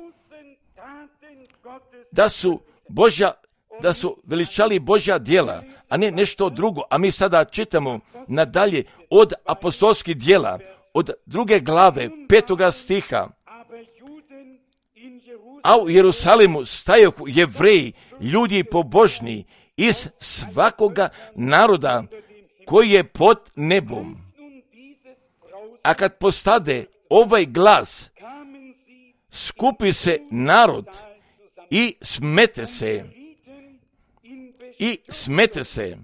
A: da su veličali Božja djela, a ne nešto drugo. A mi sada čitamo nadalje od apostolskih djela, od 2. glave 5. stiha. A u Jerusalimu stajohu Jevreji, ljudi pobožni iz svakoga naroda koji je pod nebom. A kad postade ovaj glas, skupi se narod i smete se,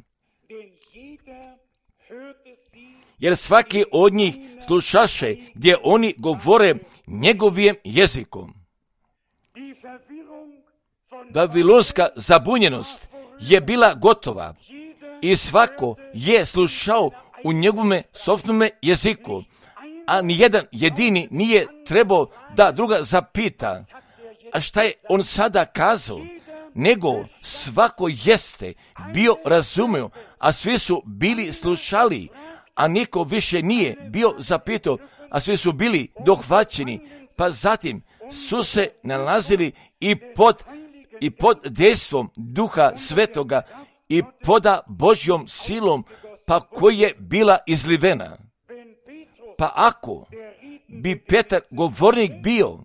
A: jer svaki od njih slušaše gdje oni govore njegovim jezikom. Babilonska zabunjenost je bila gotova i svako je slušao u njegovome sopstvenome jeziku, a nijedan jedini nije trebao da druga zapita, a šta je on sada kazao, nego svako jeste bio razumio, a svi su bili slušali, a niko više nije bio zapitao, a svi su bili dohvaćeni, pa zatim su se nalazili i pod dejstvom Duha Svetoga i pod Božjom silom, pa koja je bila izlivena. Pa ako bi Petar govornik bio,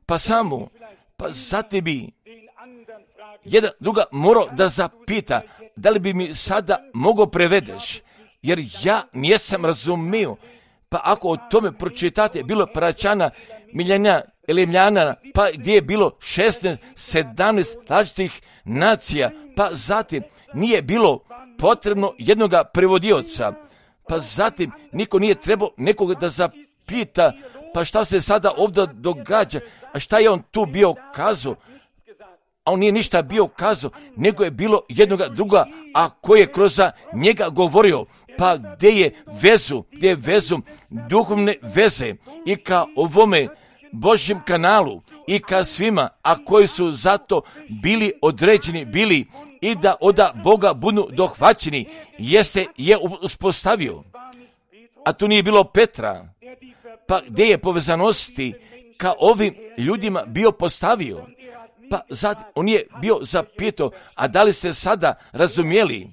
A: pa zatim bi jedan druga morao da zapita, da li bi mi sada mogao prevedeš, jer ja nisam razumio. Pa ako o tome pročitate, bilo Paračana, Miljana, Elemljana, pa gdje je bilo 16, 17 različitih nacija, pa zatim nije bilo potrebno jednoga prevodioca, Pa zatim niko nije trebao nekoga da zapita, pa šta se sada ovdje događa, a šta je on tu bio kazao? A on nije ništa bio kazao, nego je bilo jednoga druga, a koji je kroz njega govorio. Pa gdje je vezu duhovne veze i ka ovome Božjem kanalu i ka svima, a koji su zato bili određeni, bili i da od Boga budu dohvaćeni, je uspostavio. A tu nije bilo Petra, pa gdje je povezanosti ka ovim ljudima bio postavio. Pa zatim on je bio zapitao, a da li ste sada razumjeli?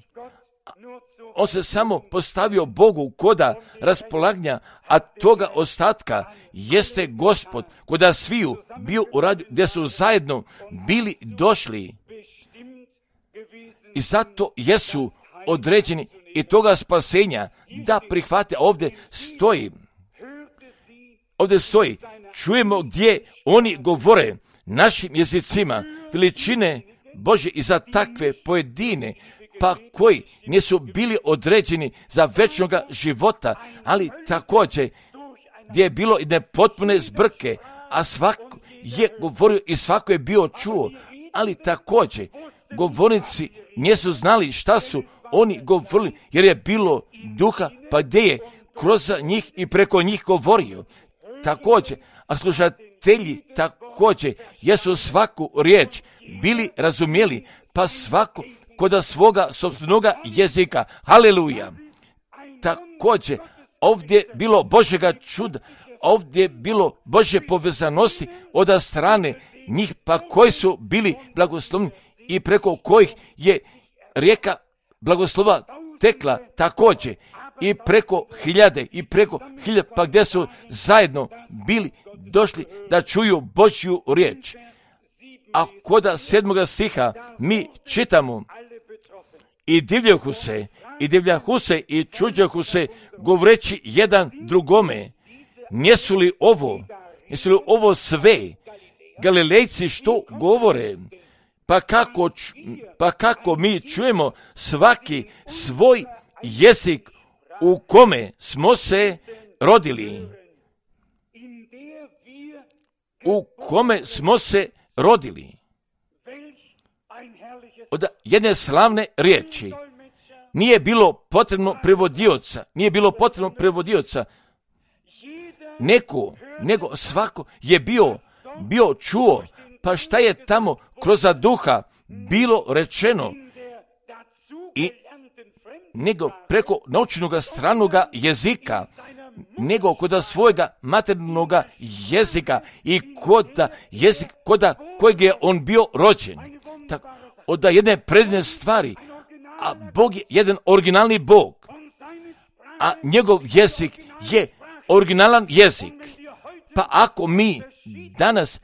A: On se samo postavio Bogu koda raspolaganja, a toga ostatka jeste Gospod, koda sviju bio u radu, gdje su zajedno bili došli. I zato jesu određeni i toga spasenja da prihvate. Ovdje stoji, čujemo gdje oni govore našim jezicima veličine Bože i za takve pojedine, pa koji nisu bili određeni za večnoga života, ali također gdje je bilo i nepotpune zbrke, a svako je govorio i svako je bio čuo, ali također govornici nisu znali šta su oni govorili, jer je bilo duha, pa gdje je kroz njih i preko njih govorio. Također, a slušatelji također jesu svaku riječ bili razumjeli, pa svako koda svoga sopstvenoga jezika. Haleluja! Također, ovdje bilo Božjega čuda, ovdje bilo Božje povezanosti od strane njih, pa koji su bili blagoslovni i preko kojih je rijeka blagoslova tekla također i preko hiljade, pa gdje su zajedno bili došli da čuju Božju riječ. A koda 7. stiha mi čitamo, i divljahu se i čuđahu se govoreći jedan drugome, nisu li ovo sve Galilejci što govore? Pa kako mi čujemo svaki svoj jezik u kome smo se rodili. Od jedne slavne riječi nije bilo potrebno prevodioca, nego svako je bio čuo, pa šta je tamo kroz duha bilo rečeno, i nego preko naučenoga stranoga jezika, nego kod svojega maternog jezika i koda kojeg je on bio rođen. Tako, od jedne predivne stvari, a Bog je jedan originalni Bog, a njegov jezik je originalan jezik. Pa ako mi danas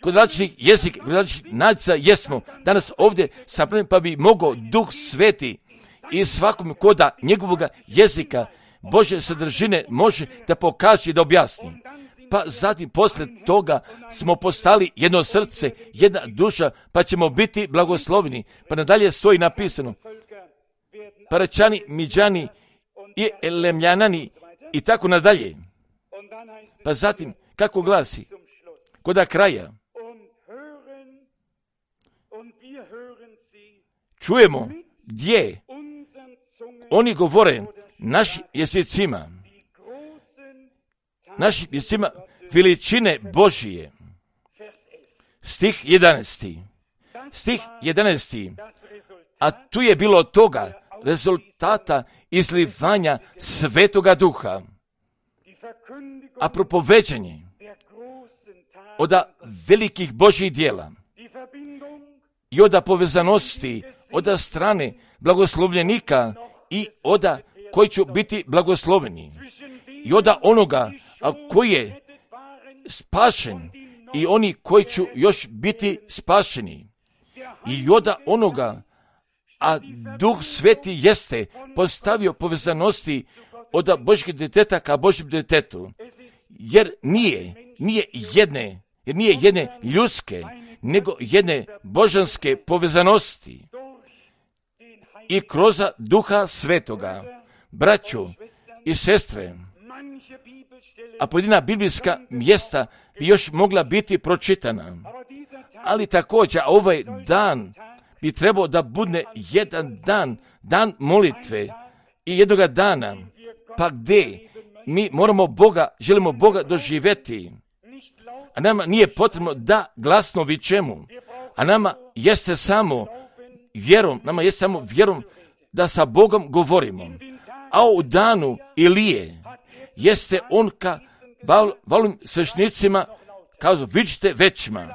A: kod različitih jezika, kod različitih nacija jesmo danas ovdje sabrani, pa bi mogao Duh Sveti i svakom koda njegovog jezika Božje sadržine može da pokaže i da objasni. Pa zatim poslije toga smo postali jedno srce, jedna duša, pa ćemo biti blagosloveni. Pa nadalje stoji napisano, Paračani, Midžani i Elemljanani i tako nadalje. Pa zatim, kako glasi, koda kraja, čujemo gdje oni govore našim jezicima veličine Božije. Stih 11. A tu je bilo toga rezultata izlivanja Svetoga Duha, a propoveđanje od velikih Božjih djela i od povezanosti od strane blagoslovljenika i od koji će biti blagosloveni i od onoga koji je spašen i oni koji će još biti spašeni i od onoga, a Duh Sveti jeste postavio povezanosti od Božjeg djeteta ka Božjem djetetu, jer nije jedne ljudske, nego jedne božanske povezanosti. I kroz Duha Svetoga braćo i sestre, a pojedina biblijska mjesta bi još mogla biti pročitana. Ali također ovaj dan bi trebao da bude jedan dan molitve i jednoga dana, pa gdje mi želimo Boga doživjeti. A nama nije potrebno da glasno vičemo, a nama jeste samo vjerom da sa Bogom govorimo. A u danu Ilije jeste on ka valim svešnicima kazao, vičite većima.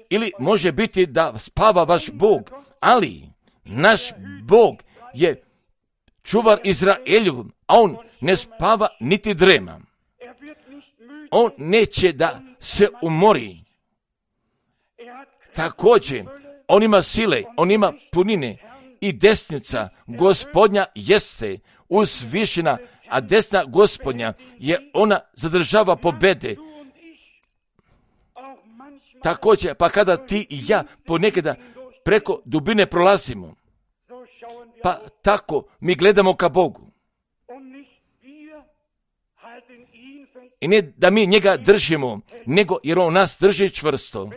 A: Ili može biti da spava vaš Bog, ali naš Bog je čuvar Izraeljev, a on ne spava niti drema. On neće da se umori. Također, on ima sile, on ima punine i desnica Gospodnja jeste uzvišena, a desna Gospodnja ona zadržava pobede. Također, pa kada ti i ja ponekada preko dubine prolazimo, pa tako mi gledamo ka Bogu. I ne da mi njega držimo, nego jer on nas drži čvrsto.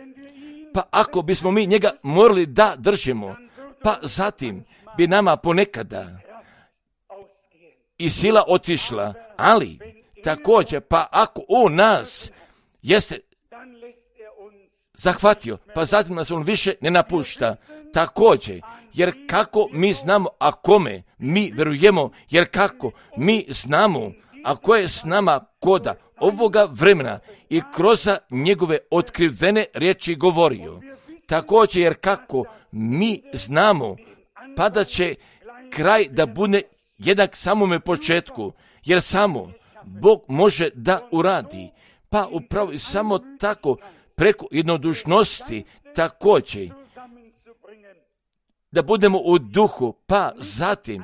A: Pa ako bismo mi njega morali da držimo, pa zatim bi nama ponekada i sila otišla, ali također, pa ako on nas jeste zahvatio, pa zatim nas on više ne napušta. Također, jer kako mi znamo, a kome mi verujemo, jer kako mi znamo, a ko je s nama koda ovoga vremena i kroz njegove otkrivene riječi govorio. Također, jer kako mi znamo, pa da će kraj da bude jednak samome početku, jer samo Bog može da uradi. Pa upravo i samo tako preko jednodušnosti također da budemo u duhu, pa zatim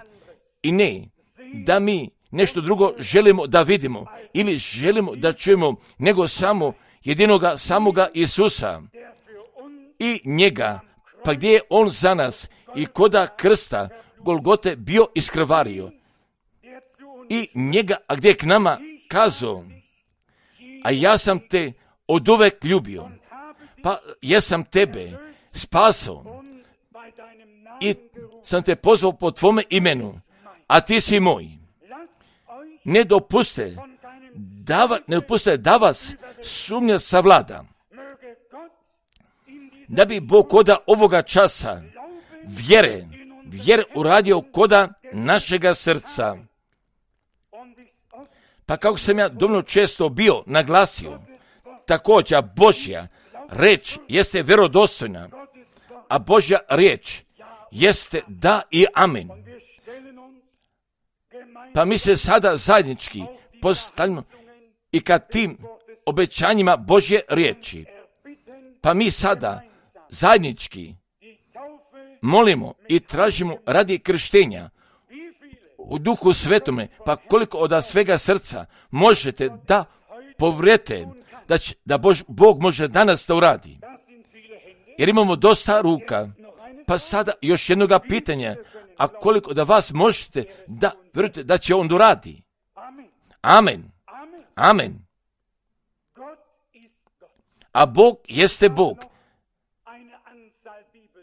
A: i ne da mi nešto drugo želimo da vidimo ili želimo da čujemo, nego samo jedinoga samoga Isusa i njega, pa gdje je on za nas i koda krsta Golgote bio iskrvario i njega, a gdje je k nama kazao, a ja sam te oduvek ljubio, pa jesam tebe spasao i sam te pozvao po tvome imenu, a ti si moj. Ne dopuste da vas sumnja savlada, da bi Bog koda ovoga časa vjere uradio koda našega srca. Pa kako sam ja dovoljno često bio naglasio, također Božja reč jeste vjerodostojna, a Božja riječ jeste da i amen. Pa mi se sada zajednički postavljamo i ka tim obećanjima Božje riječi. Pa mi sada zajednički molimo i tražimo radi krštenja u Duhu Svetome, pa koliko od svega srca možete da povrete da Bog može danas da uradi. Jer imamo dosta ruka, pa sada još jednoga pitanja, a koliko da vas možete da vjerujete da će on uradi. Amen. Amen. A Bog jeste Bog.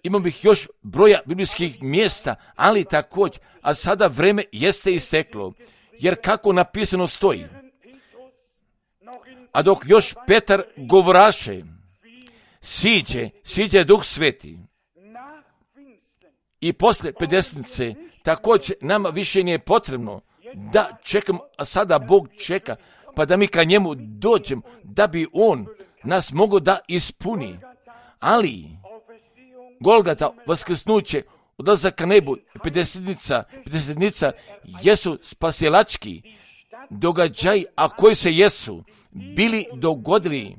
A: Imam bih još broja biblijskih mjesta, ali također, a sada vreme jeste isteklo, jer kako napisano stoji. A dok još Petar govoraše, siđe Duh Sveti. I posle Pedesnice također nama više nije potrebno da čekamo, a sada Bog čeka, pa da mi ka njemu dođemo, da bi on nas mogao da ispuni. Ali Golgata, vaskrsnuće, odlazak ka nebu, Pedesnica jesu spasilački događaj, a koji se jesu bili dogodili,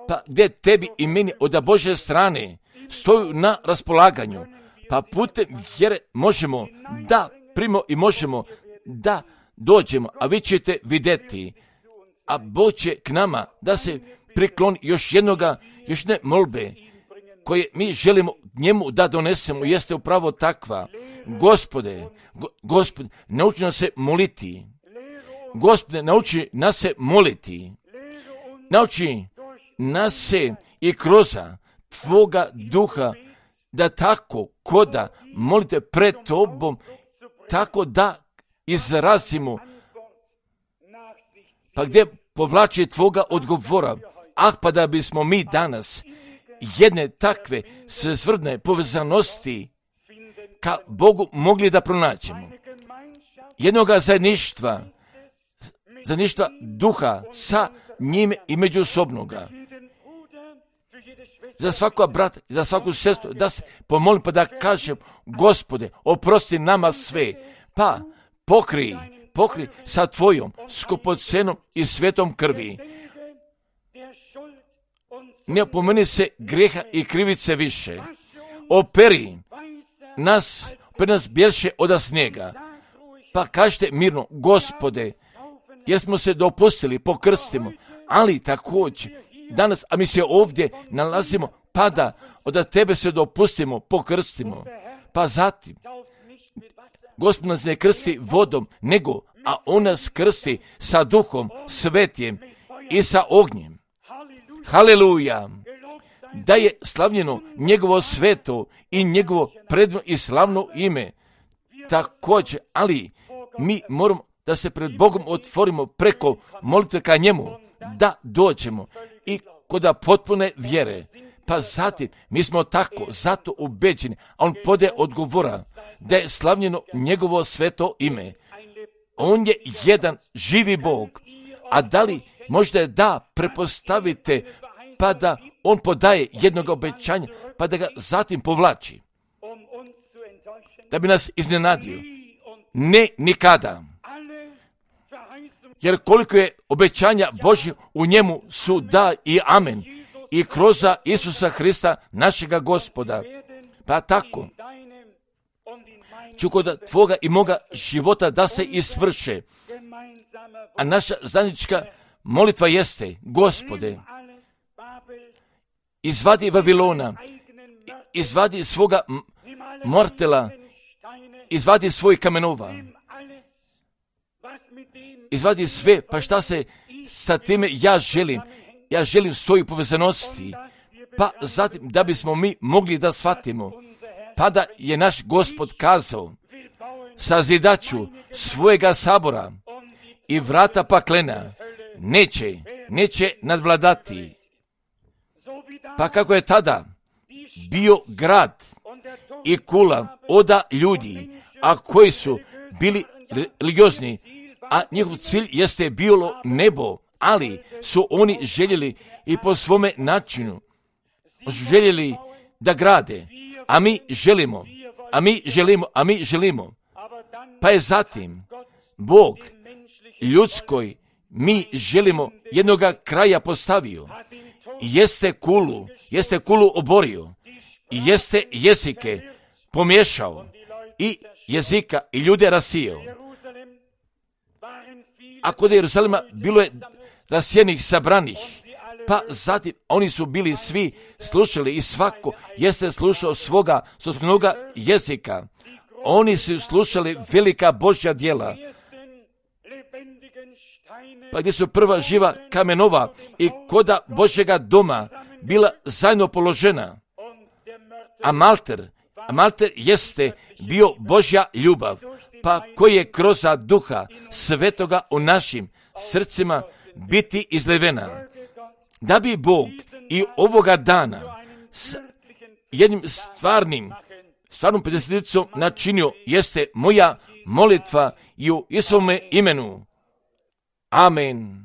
A: pa gdje tebi i meni od Božje strane stoju na raspolaganju, pa putem vjere možemo da primimo i možemo da dođemo, a vi ćete vidjeti, a Bog će k nama da se prikloni još jedne molbe, koje mi želimo njemu da donesemo jeste upravo takva. Gospode, nauči nas se moliti. Gospode, nauči nas se moliti. Nauči nas se i kroz Tvoga duha da tako koda molite pred Tobom, tako da izrazimo, pa gdje povlači Tvoga odgovora. Pa da bismo mi danas jedne takve svrstvrdne povezanosti ka Bogu mogli da pronaćemo. Jednoga zajedništva duha sa njime i međusobnoga. Za svakog brata i za svaku sestru da se pomolim pa da kažem, Gospode, oprosti nama sve, pa pokri sa Tvojom skupocenom i svetom krvi. Ne opomeni se grijeha i krivice više. Operi nas bjelše od snijega. Pa kažete mirno, Gospode, jer smo se dopustili, pokrstimo, ali također danas, a mi se ovdje nalazimo, pa da od Tebe se dopustimo, pokrstimo. Pa zatim, Gospod nas ne krsti vodom, nego, a On nas krsti sa Duhom Svetim i sa ognjem. Haleluja! Da je slavljeno njegovo sveto i njegovo predivno i slavno ime. Također, ali mi moramo da se pred Bogom otvorimo preko molitve ka njemu, da dođemo i kod potpune vjere. Pa zatim, mi smo tako zato ubeđeni, a on pode odgovora da je slavljeno njegovo sveto ime. On je jedan živi Bog, a da li možda da prepostavite pa da on podaje jednog obećanja, pa da ga zatim povlači, da bi nas iznenadio? Ne, nikada. Jer koliko je obećanja Božje u njemu su da i amen. I kroz Isusa Hrista, našega Gospoda. Pa tako ću kod Tvoga i moga života da se isvrše. A naša zajednička molitva jeste, Gospode, izvadi Vavilona, izvadi svoga mortela, izvadi svoj kamenova, izvadi sve, pa šta se sa time ja želim stoji povezanosti, pa zatim da bismo mi mogli da shvatimo, pa da je naš Gospod kazao, sazidaću svojega sabora i vrata paklena neće nadvladati. Pa kako je tada bio grad i kula oda ljudi, a koji su bili religiozni, a njihov cilj jeste bilo nebo, ali su oni željeli i po svome načinu željeli da grade, a mi želimo. Pa je zatim Bog ljudskoj mi želimo jednoga kraja postavio. Jeste kulu oborio, jeste jezike pomiješao i jezika i ljude rasijao. A kod Jeruzalema bilo je rasijenih, sabranih, pa zatim oni su bili svi slušali i svako jeste slušao svoga jezika. Oni su slušali velika Božja djela. Pa gdje su prva živa kamenova i koda Božjega doma bila zajedno položena. A malter jeste bio Božja ljubav, pa koji je kroz Duha Svetoga u našim srcima biti izlevena. Da bi Bog i ovoga dana s jednim stvarnom pedeseticom načinio, jeste moja molitva i u Isovome imenu. Amen.